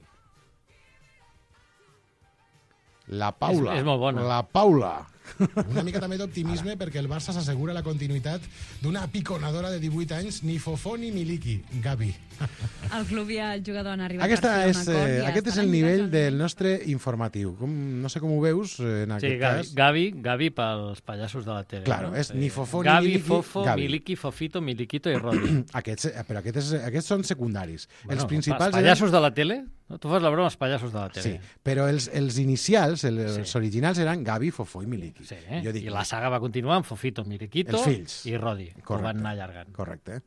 La Paula. És molt bona. La Paula. Una mica també d'optimisme perquè el Barça s'assegura la continuïtat d'una piconadora de 18 anys, ni Fofó ni Miliki, Gavi. El club i el jugador han arribat a fer un acord. Aquest és el nivell del nostre informatiu. No sé com ho veus en aquest cas. Gavi pels pallassos de la tele. Claro, és ni Fofó ni Miliki. Gavi, Fofo, Miliki, Fofito, Miliquito i Rodi. Però aquests són secundaris. Els principals... Els pallassos de la tele? Tu fas la broma als pallassos de la tele. Sí, però els inicials, els originals eren Gavi, Fofó i Miliki. Sí, i la saga va continuar amb Fofito, Miliquito i Rodi, que ho van anar allargant. Correcte.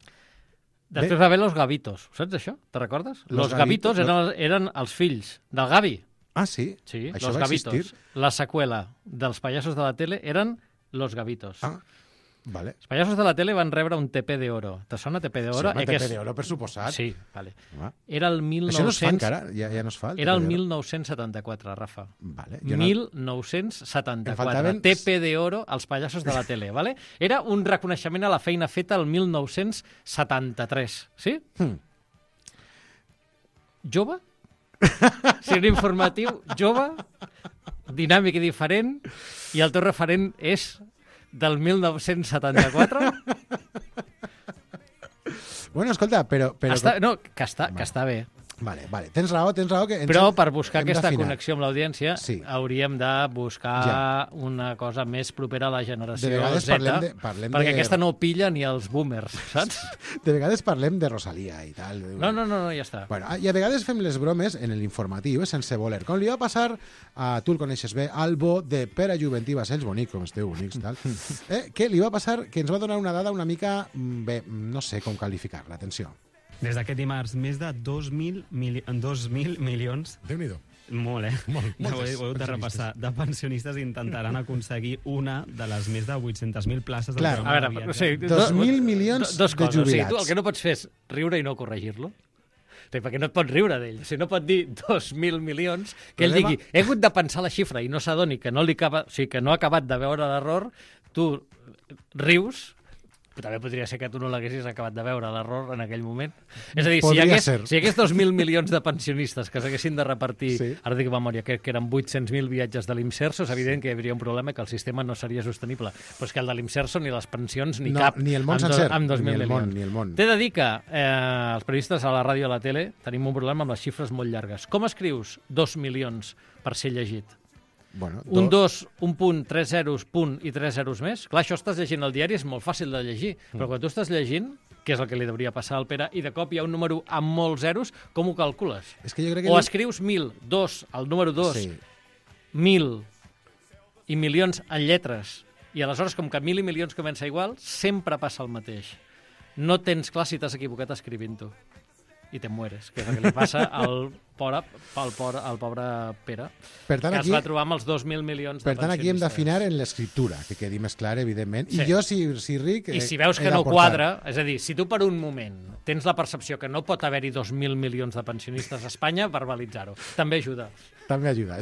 Després va haver los Gavitos, saps això? Te recordes? Los Gavitos eren els fills del Gavi. Ah, sí? Sí, això los va Gavitos. existir? La seqüela dels pallassos de la tele eren los Gavitos. Ah, vale. Els pallassos de la tele van rebre un TP d'Oro. Te sona TP d'Oro? Sí, TP d'Oro, per suposat. Sí, vale. Era el 1900... Això no es fa encara? Ja no es fa? Era el 1974, Rafa. Vale. 1974. TP d'Oro als pallassos de la tele, vale? Era un reconeixement a la feina feta el 1973, sí? Jove? Si un informatiu jove, dinàmic i diferent, i el teu referent és del 1974? Bueno, escolta, però... No, que està bé. Vale. Tens raó que... Però per buscar aquesta connexió amb l'audiència hauríem de buscar una cosa més propera a la generació Z, perquè aquesta no pilla ni els boomers, saps? De vegades parlem de Rosalía i tal. No, ja està. Bueno, i a vegades fem les bromes en l'informatiu, sense voler. Com li va passar, tu el coneixes bé, al bo de Pere Juventí Bassells, bonic, com esteu bonics, tal, que li va passar que ens va donar una dada una mica... Bé, no sé com qualificar-la, atenció. Des d'aquest dimarts, més de 2.000 milions... Déu-n'hi-do. Molt, ho he de repassar. De pensionistes intentaran aconseguir una de les més de 800.000 places del programa de viatge. 2.000 milions de jubilats. O sigui, tu el que no pots fer és riure i no corregir-lo. Perquè no et pots riure d'ell. Si no pot dir 2.000 milions, que ell digui, he hagut de pensar la xifra i no s'adoni que no ha acabat de veure l'error, tu rius... També podria ser que tu no l'haguessis acabat de veure, l'error, en aquell moment. És a dir, si hi hagués 2.000 milions de pensionistes que s'haguessin de repartir, ara dic memòria, que eren 800.000 viatges de l'Imserso, és evident que hi hauria un problema que el sistema no seria sostenible. Però és que el de l'Imserso, ni les pensions, ni cap. Ni el món sencer, amb 2.000 milions. Ni el món. T'he de dir que els periodistes a la ràdio i a la tele tenim un problema amb les xifres molt llargues. Com escrius 2 milions per ser llegit? Bueno, un 2, un punt, 3 zeros, punt i 3 zeros més. Clar, això estàs llegint al diari, és molt fàcil de llegir, però quan tu estàs llegint, que és el que li hauria passar al Pere, i de cop hi ha un número amb molts zeros, com ho calcules? És que jo crec que o escrius 1.000, 2, el número 2, 1.000 i milions en lletres, i aleshores, com que 1.000 i milions comença igual, sempre passa el mateix. No tens clar si t'has equivocat escrivint-ho. I te mueres, que és el que li passa al pobre Pere, per tant, que es va trobar amb els 2.000 milions de pensionistes. Per tant, aquí hem d'afinar en l'escriptura, que quedi més clar, evidentment. I jo, si ric... I si veus que no quadra, és a dir, si tu per un moment tens la percepció que no pot haver-hi 2.000 milions de pensionistes a Espanya, verbalitzar-ho. També ajuda. També ajuda.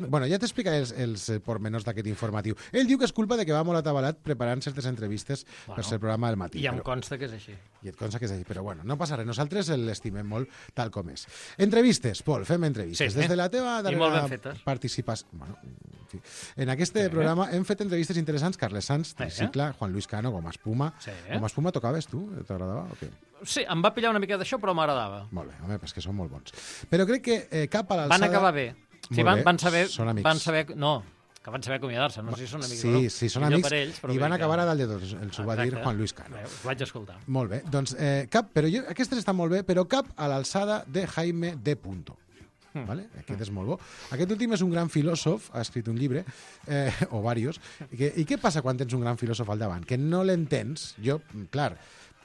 Bueno, ja t'explicaré els pormenors d'aquest informatiu. Ell diu que és culpa de que va molt atabalat preparant certes entrevistes per ser el programa del matí. I em consta que és així. I et consta que és així, però bueno, no passa res. Nosaltres l'estimem molt tal com és. Entrevistes, Pol, fem entrevistes. Sí, des de la teva darrera participació... Bueno, Sí. En aquest programa hem fet entrevistes interessants. Carles Sanz, Tricicle, Juan Luis Cano, Goma Espuma. Goma Espuma tocaves tu? T'agradava o què? Sí, em va pillar una mica d'això, però m'agradava. Molt bé, home, és que són molt bons. Però crec que cap a l'alçada... Van acabar bé. Sí, van saber... Són amics. No, que van saber acomiadar-se, no sé si són amics o no. Sí, són amics i van acabar a dalt de tots, els ho va dir Juan Luis Cano. Ho vaig escoltar. Molt bé, doncs aquestes estan molt bé, però cap a l'alçada de Jaime D. Punto. Vale? Aquest és molt bo. Aquest últim és un gran filòsof, ha escrit un llibre, o diversos, i què passa quan tens un gran filòsof al davant? Que no l'entens, clar,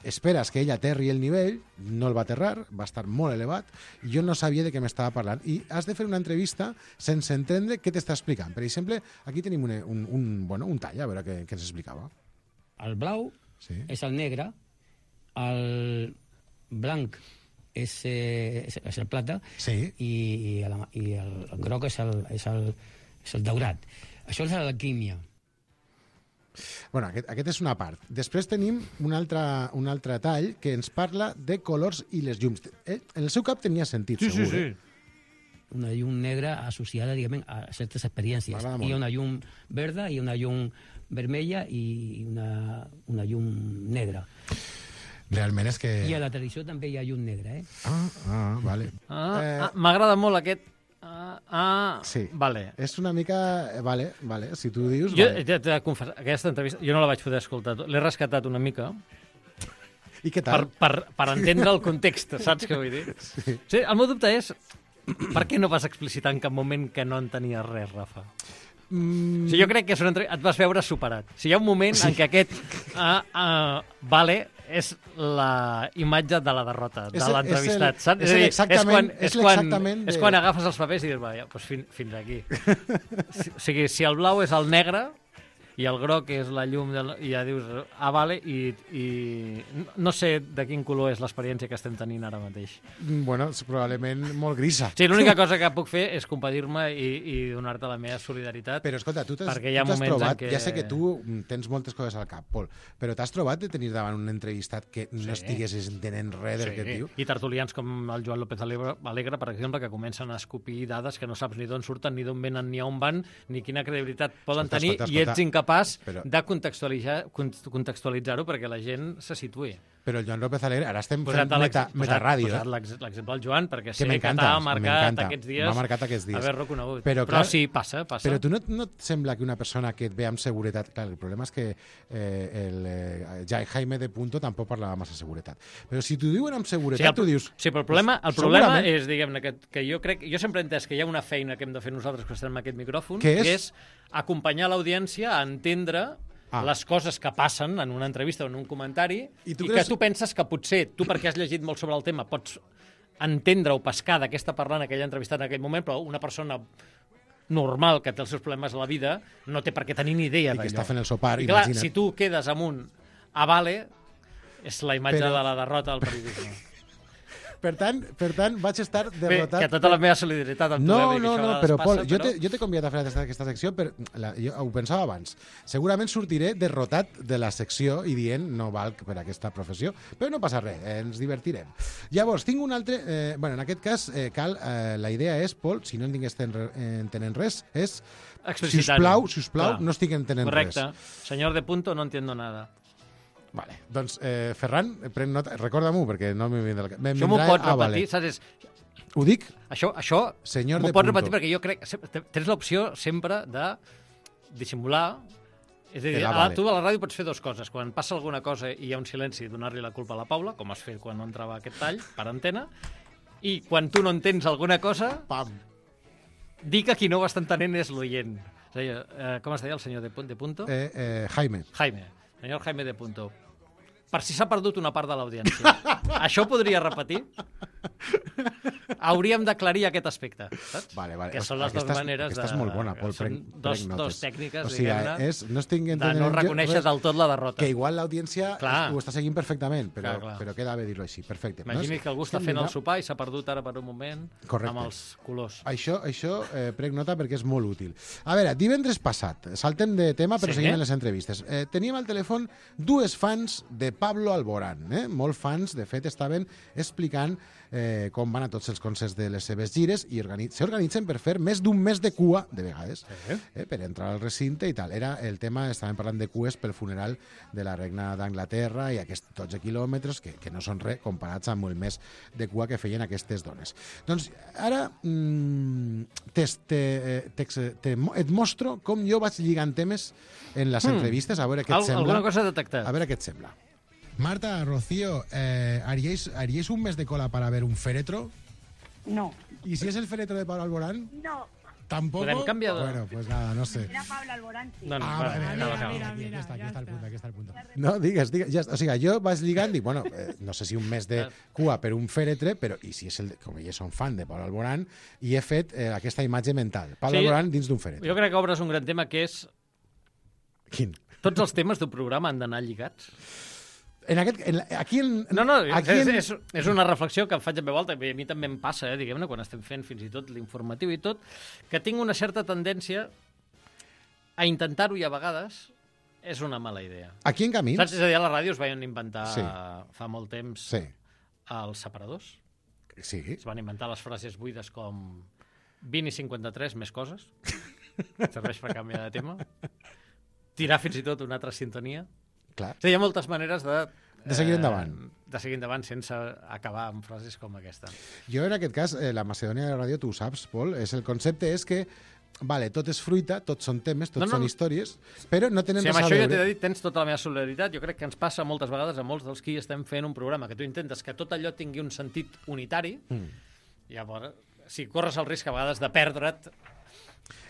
esperes que ell aterri el nivell, no el va aterrar, va estar molt elevat, i jo no sabia de què m'estava parlant. I has de fer una entrevista sense entendre què t'està explicant. Per exemple, aquí tenim un tall, a veure què ens explicava. El blau és el negre, el blanc és el plata i el groc és el daurat. Això és l'alquímia. Bueno, aquest és una part. Després tenim un altre tall que ens parla de colors i les llums. En el seu cap tenia sentit, segur. Sí. Una llum negra associada, diguem, a certes experiències. Hi ha una llum verda, hi ha una llum vermella i una llum negra. Realment és que... I a la tradició també hi ha llum negra, vale. M'agrada molt aquest... Sí, vale. És una mica... Vale, si tu dius... Jo t'he de confessar, aquesta entrevista jo no la vaig poder escoltar, l'he rescatat una mica. I què tal? Per entendre el context, saps què vull dir? Sí, el meu dubte és per què no vas explicitar en cap moment que no entenies res, Rafa? Jo crec que et vas veure superat. Si hi ha un moment en què aquest vale és la imatge de la derrota de l'entrevistat, saps? És quan agafes els papers i dius, va, doncs fins aquí. O sigui, si el blau és el negre i el groc és la llum, i ja dius, vale, i no sé de quin color és l'experiència que estem tenint ara mateix. Bueno, és probablement molt grisa. Sí, l'única cosa que puc fer és compadir-me i donar-te la meva solidaritat. Però escolta, tu t'has trobat, ja sé que tu tens moltes coses al cap, Pol, però t'has trobat de tenir davant un entrevistat que no estiguessis entenent res del que et diu? I tertulians com el Joan López Alegre, per exemple, que comencen a escopir dades que no saps ni d'on surten, ni d'on venen, ni on van, ni quina credibilitat poden tenir, i ets incapaç de contextualitzar-ho perquè la gent se situï. Però el Joan López Alegre, ara estem fent metaràdio. L'exemple del Joan, perquè sé que t'ha marcat aquests dies haver-lo conegut. Però sí, passa. Però tu no et sembla que una persona que et ve amb seguretat... Clar, el problema és que Jaime de Punto tampoc parlava massa seguretat. Però si t'ho diuen amb seguretat, tu dius... Sí, però el problema és, diguem-ne, que jo sempre he entès que hi ha una feina que hem de fer nosaltres que estem en aquest micròfon, que és acompanyar l'audiència a entendre les coses que passen en una entrevista o en un comentari i que tu penses que potser tu, perquè has llegit molt sobre el tema, pots entendre o pescar d'aquesta parlant aquella entrevistada en aquell moment, però una persona normal que té els seus problemes a la vida no té per què tenir ni idea d'allò. I que està fent el sopar, i clar, si tu quedes amb un vale, és la imatge de la derrota del periodisme. Per tant, vaig estar derrotat... Bé, que tota la meva solidaritat amb tu, No, però Pol, jo t'he convidat a fer aquesta secció, jo ho pensava abans. Segurament sortiré derrotat de la secció i dient no valc per aquesta professió, però no passa res, ens divertirem. Llavors, tinc un altre... en aquest cas, la idea és, Pol, si no en tingués entenent res, és... Sisplau, no estic entenent res. Correcte. Senyor de Punto, no entiendo nada. Vale, doncs, Ferran, pren nota, recorda-m'ho, perquè no m'he vindrà... Això m'ho pots repetir, saps? Ho dic? Això m'ho pots repetir perquè jo crec... Tens l'opció sempre de dissimular... És a dir, tu a la ràdio pots fer dues coses. Quan passa alguna cosa i hi ha un silenci, donar-li la culpa a la Paula, com has fet quan no entrava aquest tall, per antena, i quan tu no entens alguna cosa, dir que qui no ho està entenent és l'oient. Com es deia el senyor de Punto? Jaime. Senyor Jaime de Punto, per si s'ha perdut una part de l'audiència. Això ho podria repetir? Hauríem d'aclarir aquest aspecte, saps? Vale. Que són les dues maneres de... Aquesta és molt bona, Pol. Són dos tècniques, diguem-ne, de no reconèixer del tot la derrota. Que igual l'audiència ho està seguint perfectament, però queda bé dir-ho així. Perfecte. Imagini que algú està fent el sopar i s'ha perdut ara per un moment amb els colors. Això prenc nota perquè és molt útil. A veure, divendres passat, saltem de tema però seguim en les entrevistes. Teníem al telèfon dues fans de Pablo Alborán. Molts fans, de fet, estaven explicant com van a tots els concerts de les seves gires i s'organitzen per fer més d'un mes de cua, de vegades, per entrar al recinte i tal. Era el tema, estàvem parlant de cues pel funeral de la reina d'Anglaterra i aquests 12 quilòmetres que no són res comparats amb el mes de cua que feien aquestes dones. Doncs ara et mostro com jo vaig lligant temes en les entrevistes, a veure què et sembla. Alguna cosa detectat. A veure què et sembla. Marta, Rocío, ¿haríais un mes de cola para ver un féretro? No. ¿Y si es el féretro de Pablo Alborán? No. ¿Tampoco? Podem canviar de... Bueno, pues nada, no sé. Era Pablo Alborán, sí. No, Mira, aquí està el punt. No, digues. O sigui, jo vaig lligant i, bueno, no sé si un mes de cua per un fèretre, però i si és com ells són fan de Pablo Alborán, i he fet aquesta imatge mental. Pablo Alborán dins d'un fèretre. Jo crec que obres un gran tema que és... Quin? Tots els temes d'un programa han d'anar lligats. Aquí és una reflexió que em faig en veu alta, i a mi també em passa, diguem-ne, quan estem fent fins i tot l'informatiu i tot, que tinc una certa tendència a intentar-ho i a vegades és una mala idea. Aquí en Camins... Saps? És a dir, a la ràdio es van inventar fa molt temps els separadors. Sí. Es van inventar les frases buides com 20 i 53, més coses. Serveix per canviar de tema. Tirar fins i tot una altra sintonia. Clar. Hi ha moltes maneres de seguir endavant. De seguir endavant sense acabar amb frases com aquesta. Jo, en aquest cas, la Macedònia de la ràdio, tu ho saps, Pol, el concepte és que tot és fruita, tots són temes, tots són històries, però no tenen res a veure. Això ja t'he de dir, tens tota la meva solidaritat. Jo crec que ens passa moltes vegades a molts dels qui estem fent un programa, que tu intentes que tot allò tingui un sentit unitari, i llavors, si corres el risc a vegades de perdre't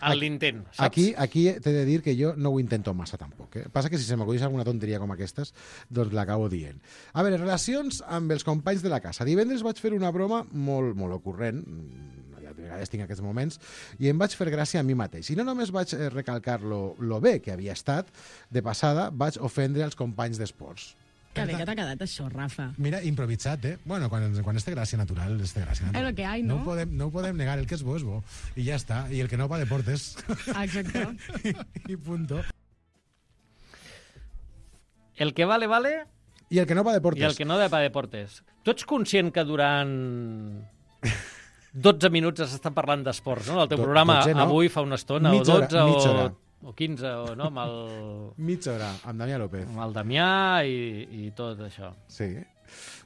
en l'intent, saps? Aquí t'he de dir que jo no ho intento massa tampoc. Passa que si se m'acudís alguna tonteria com aquestes, doncs l'acabo dient. A veure, relacions amb els companys de la casa. Divendres vaig fer una broma molt ocurrent, de vegades tinc aquests moments, i em vaig fer gràcia a mi mateix. I no només vaig recalcar lo bé que havia estat, de passada vaig ofendre els companys d'esports. Que bé que t'ha quedat això, Rafa. Mira, improvisat, Bueno, quan és de gràcia natural, és de gràcia natural. És el que hi, no? No ho podem negar, el que és bo és bo. I ja està. I el que no va a deportes. Exacte. I punto. El que vale, vale... I el que no va a deportes. I el que no va a deportes. Tu ets conscient que durant 12 minuts has estat parlant d'esports, no? El teu programa avui fa una estona, o 12 o 15, o no, amb el... Mitja hora, amb Damià López. Amb el Damià i tot això. Sí.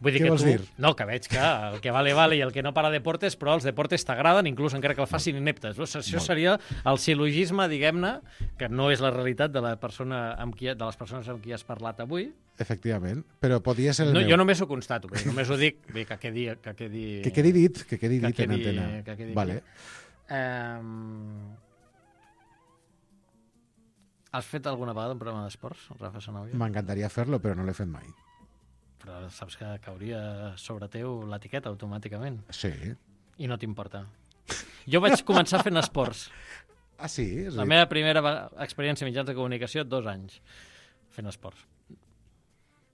Vull dir Què que vols tu... dir? No, que veig que el que vale i el que no para deportes, però els deportes t'agraden, inclús encara que el facin ineptes. Això seria el sil·logisme, diguem-ne, que no és la realitat de les persones amb qui has parlat avui. Efectivament, però podria ser el meu. Jo només ho constato, només ho dic, que quedi dit en antena. Vale. Has fet alguna vegada un programa d'esports, Rafa Sanabria? M'encantaria fer-lo, però no l'he fet mai. Però saps que cauria sobre teu l'etiqueta automàticament. Sí. I no t'importa. Jo vaig començar fent esports. Ah, sí? La meva primera experiència en mitjans de comunicació, 2 anys fent esports.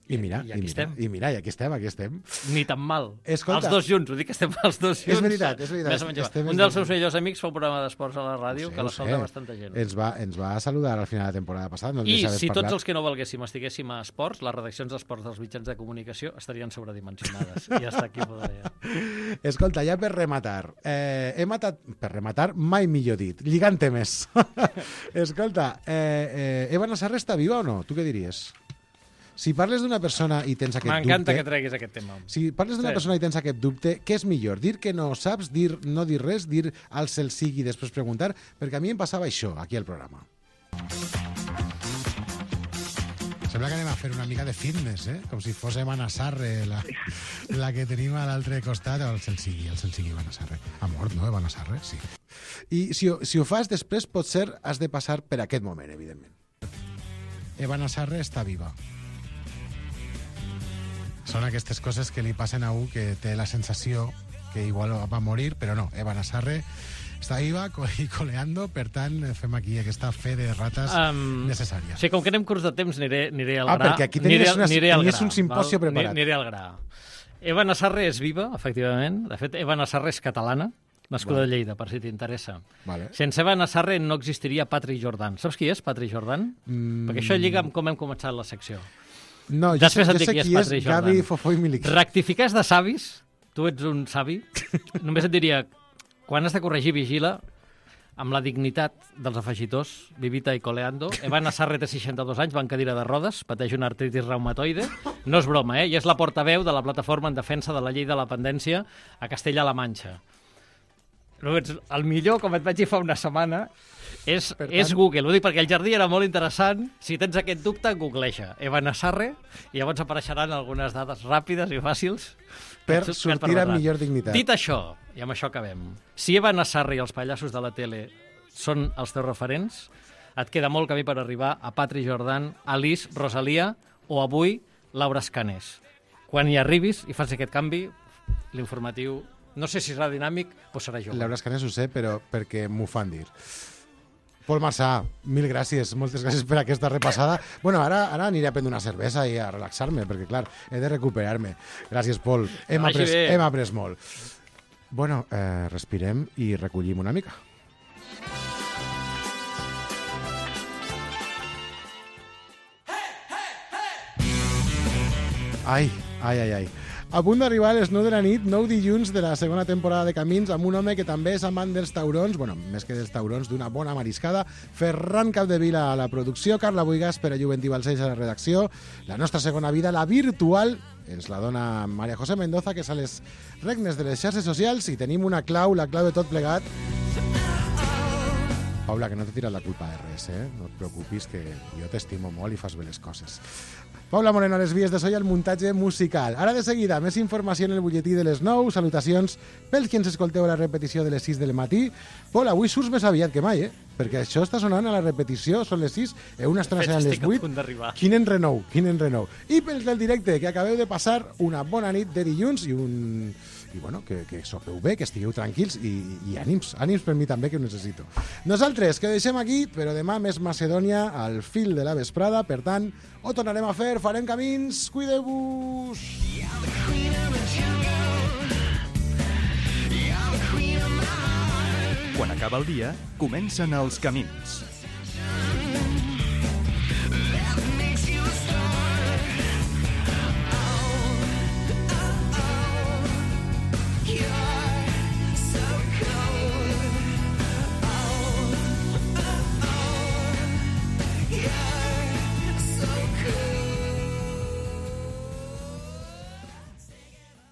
I aquí estem. Ni tan mal. Escolta, els dos junts, ho dic que estem els dos junts. És veritat. Un dels seus millors amics fa un programa d'esports a la ràdio que l'escolta bastanta gent. Ens va saludar al final de la temporada passada. I si tots els que no volguéssim estiguéssim a esports, les redaccions d'esports dels mitjans de comunicació estarien sobredimensionades. I hasta aquí podria. Escolta, ja per rematar. Per rematar, mai millor dit. Lligant temes. Escolta, Eva Nassarre està viva o no? Tu què diries? Si parles d'una persona i tens aquest dubte... M'encanta que treguis aquest tema. Si parles d'una persona i tens aquest dubte, què és millor? Dir que no saps, no dir res, dir al cel sigui i després preguntar? Perquè a mi em passava això, aquí al programa. Sembla que anem a fer una mica de fitness, com si fos Eva Nassarre, la que tenim a l'altre costat, o el cel sigui Eva Nassarre. Ha mort, no, Eva Nassarre? Sí. I si ho fas després, potser has de passar per aquest moment, evidentment. Eva Nassarre està viva. Són aquestes coses que li passen a un que té la sensació que igual va morir, però no, Eva Nassarre està viva i coleando, per tant, fem aquí aquesta fe de rates necessària. Sí, com que anem curts de temps, aniré al gra. Perquè aquí tenies un simposio preparat. Aniré al gra. Eva Nassarre és viva, efectivament. De fet, Eva Nassarre és catalana, nascuda a Lleida, per si t'interessa. Vale. Sense Eva Nassarre no existiria Patri Jordan. Saps qui és Patri Jordan? Perquè això lliga amb com hem començat la secció. No, jo sé qui és Gavi Fofó i Miliquí. Rectificar és de savis. tu ets un savi, només et diria, quan has de corregir, vigila amb la dignitat dels afegitors, vivita i coleando. Evan Asarre té 62 anys, va en cadira de rodes, pateix una artritis reumatoide. No és broma, i és la portaveu de la plataforma en defensa de la llei de la dependència a Castella-La Manxa. El millor, com et vaig dir fa una setmana, és Google. Ho dic perquè el jardí era molt interessant. Si tens aquest dubte, googleja Evan Asarre i llavors apareixeran algunes dades ràpides i fàcils per sortir amb millor dignitat. Dit això, i amb això acabem, si Evan Asarre i els pallassos de la tele són els teus referents, et queda molt camí per arribar a Patri Jordan, Alice, Rosalia o avui Laura Escanés. Quan hi arribis i fas aquest canvi, l'informatiu, no sé si serà dinàmic, però serà jove. Laura Escanés ho sé, però perquè m'ho fan dir. Pol Marsà, mil gràcies, moltes gràcies per aquesta repassada. Bueno, ara aniré a prendre una cervesa i a relaxar-me, perquè, clar, he de recuperar-me. Gràcies, Pol. Hem après molt. Bueno, respirem i recollim una mica. Ai. A punt d'arribar a les 9 de la nit, 9 dilluns de la segona temporada de Camins, amb un home que també és amant dels taurons, bueno, més que dels taurons, d'una bona mariscada, Ferran Capdevila a la producció, Carla Buigas per a Juventí Balcells a la redacció, la nostra segona vida, la virtual, ens la dona Maria José Mendoza, que és a les regnes de les xarxes socials, i tenim una clau, la clau de tot plegat. Paula, que no t'he tirat la culpa de res, No et preocupis, que jo t'estimo molt i fas bé les coses. Paula Moreno a les vies de so i al muntatge musical. Ara de seguida, més informació en el butlletí de les 9. Salutacions pels que ens escolteu a la repetició de les 6 del matí. Pol, avui surts més aviat que mai, perquè això està sonant a la repetició, són les 6, una estona seran les 8. Quin enrenou. I pels del directe, que acabeu de passar una bona nit de dilluns i bueno, que sopeu bé, que estigueu tranquils i ànims per mi també, que ho necessito. Nosaltres, que deixem aquí, però demà més Macedònia al fil de la vesprada, per tant, ho tornarem a fer, farem camins, cuideu-vos! Quan acaba el dia, comencen els camins.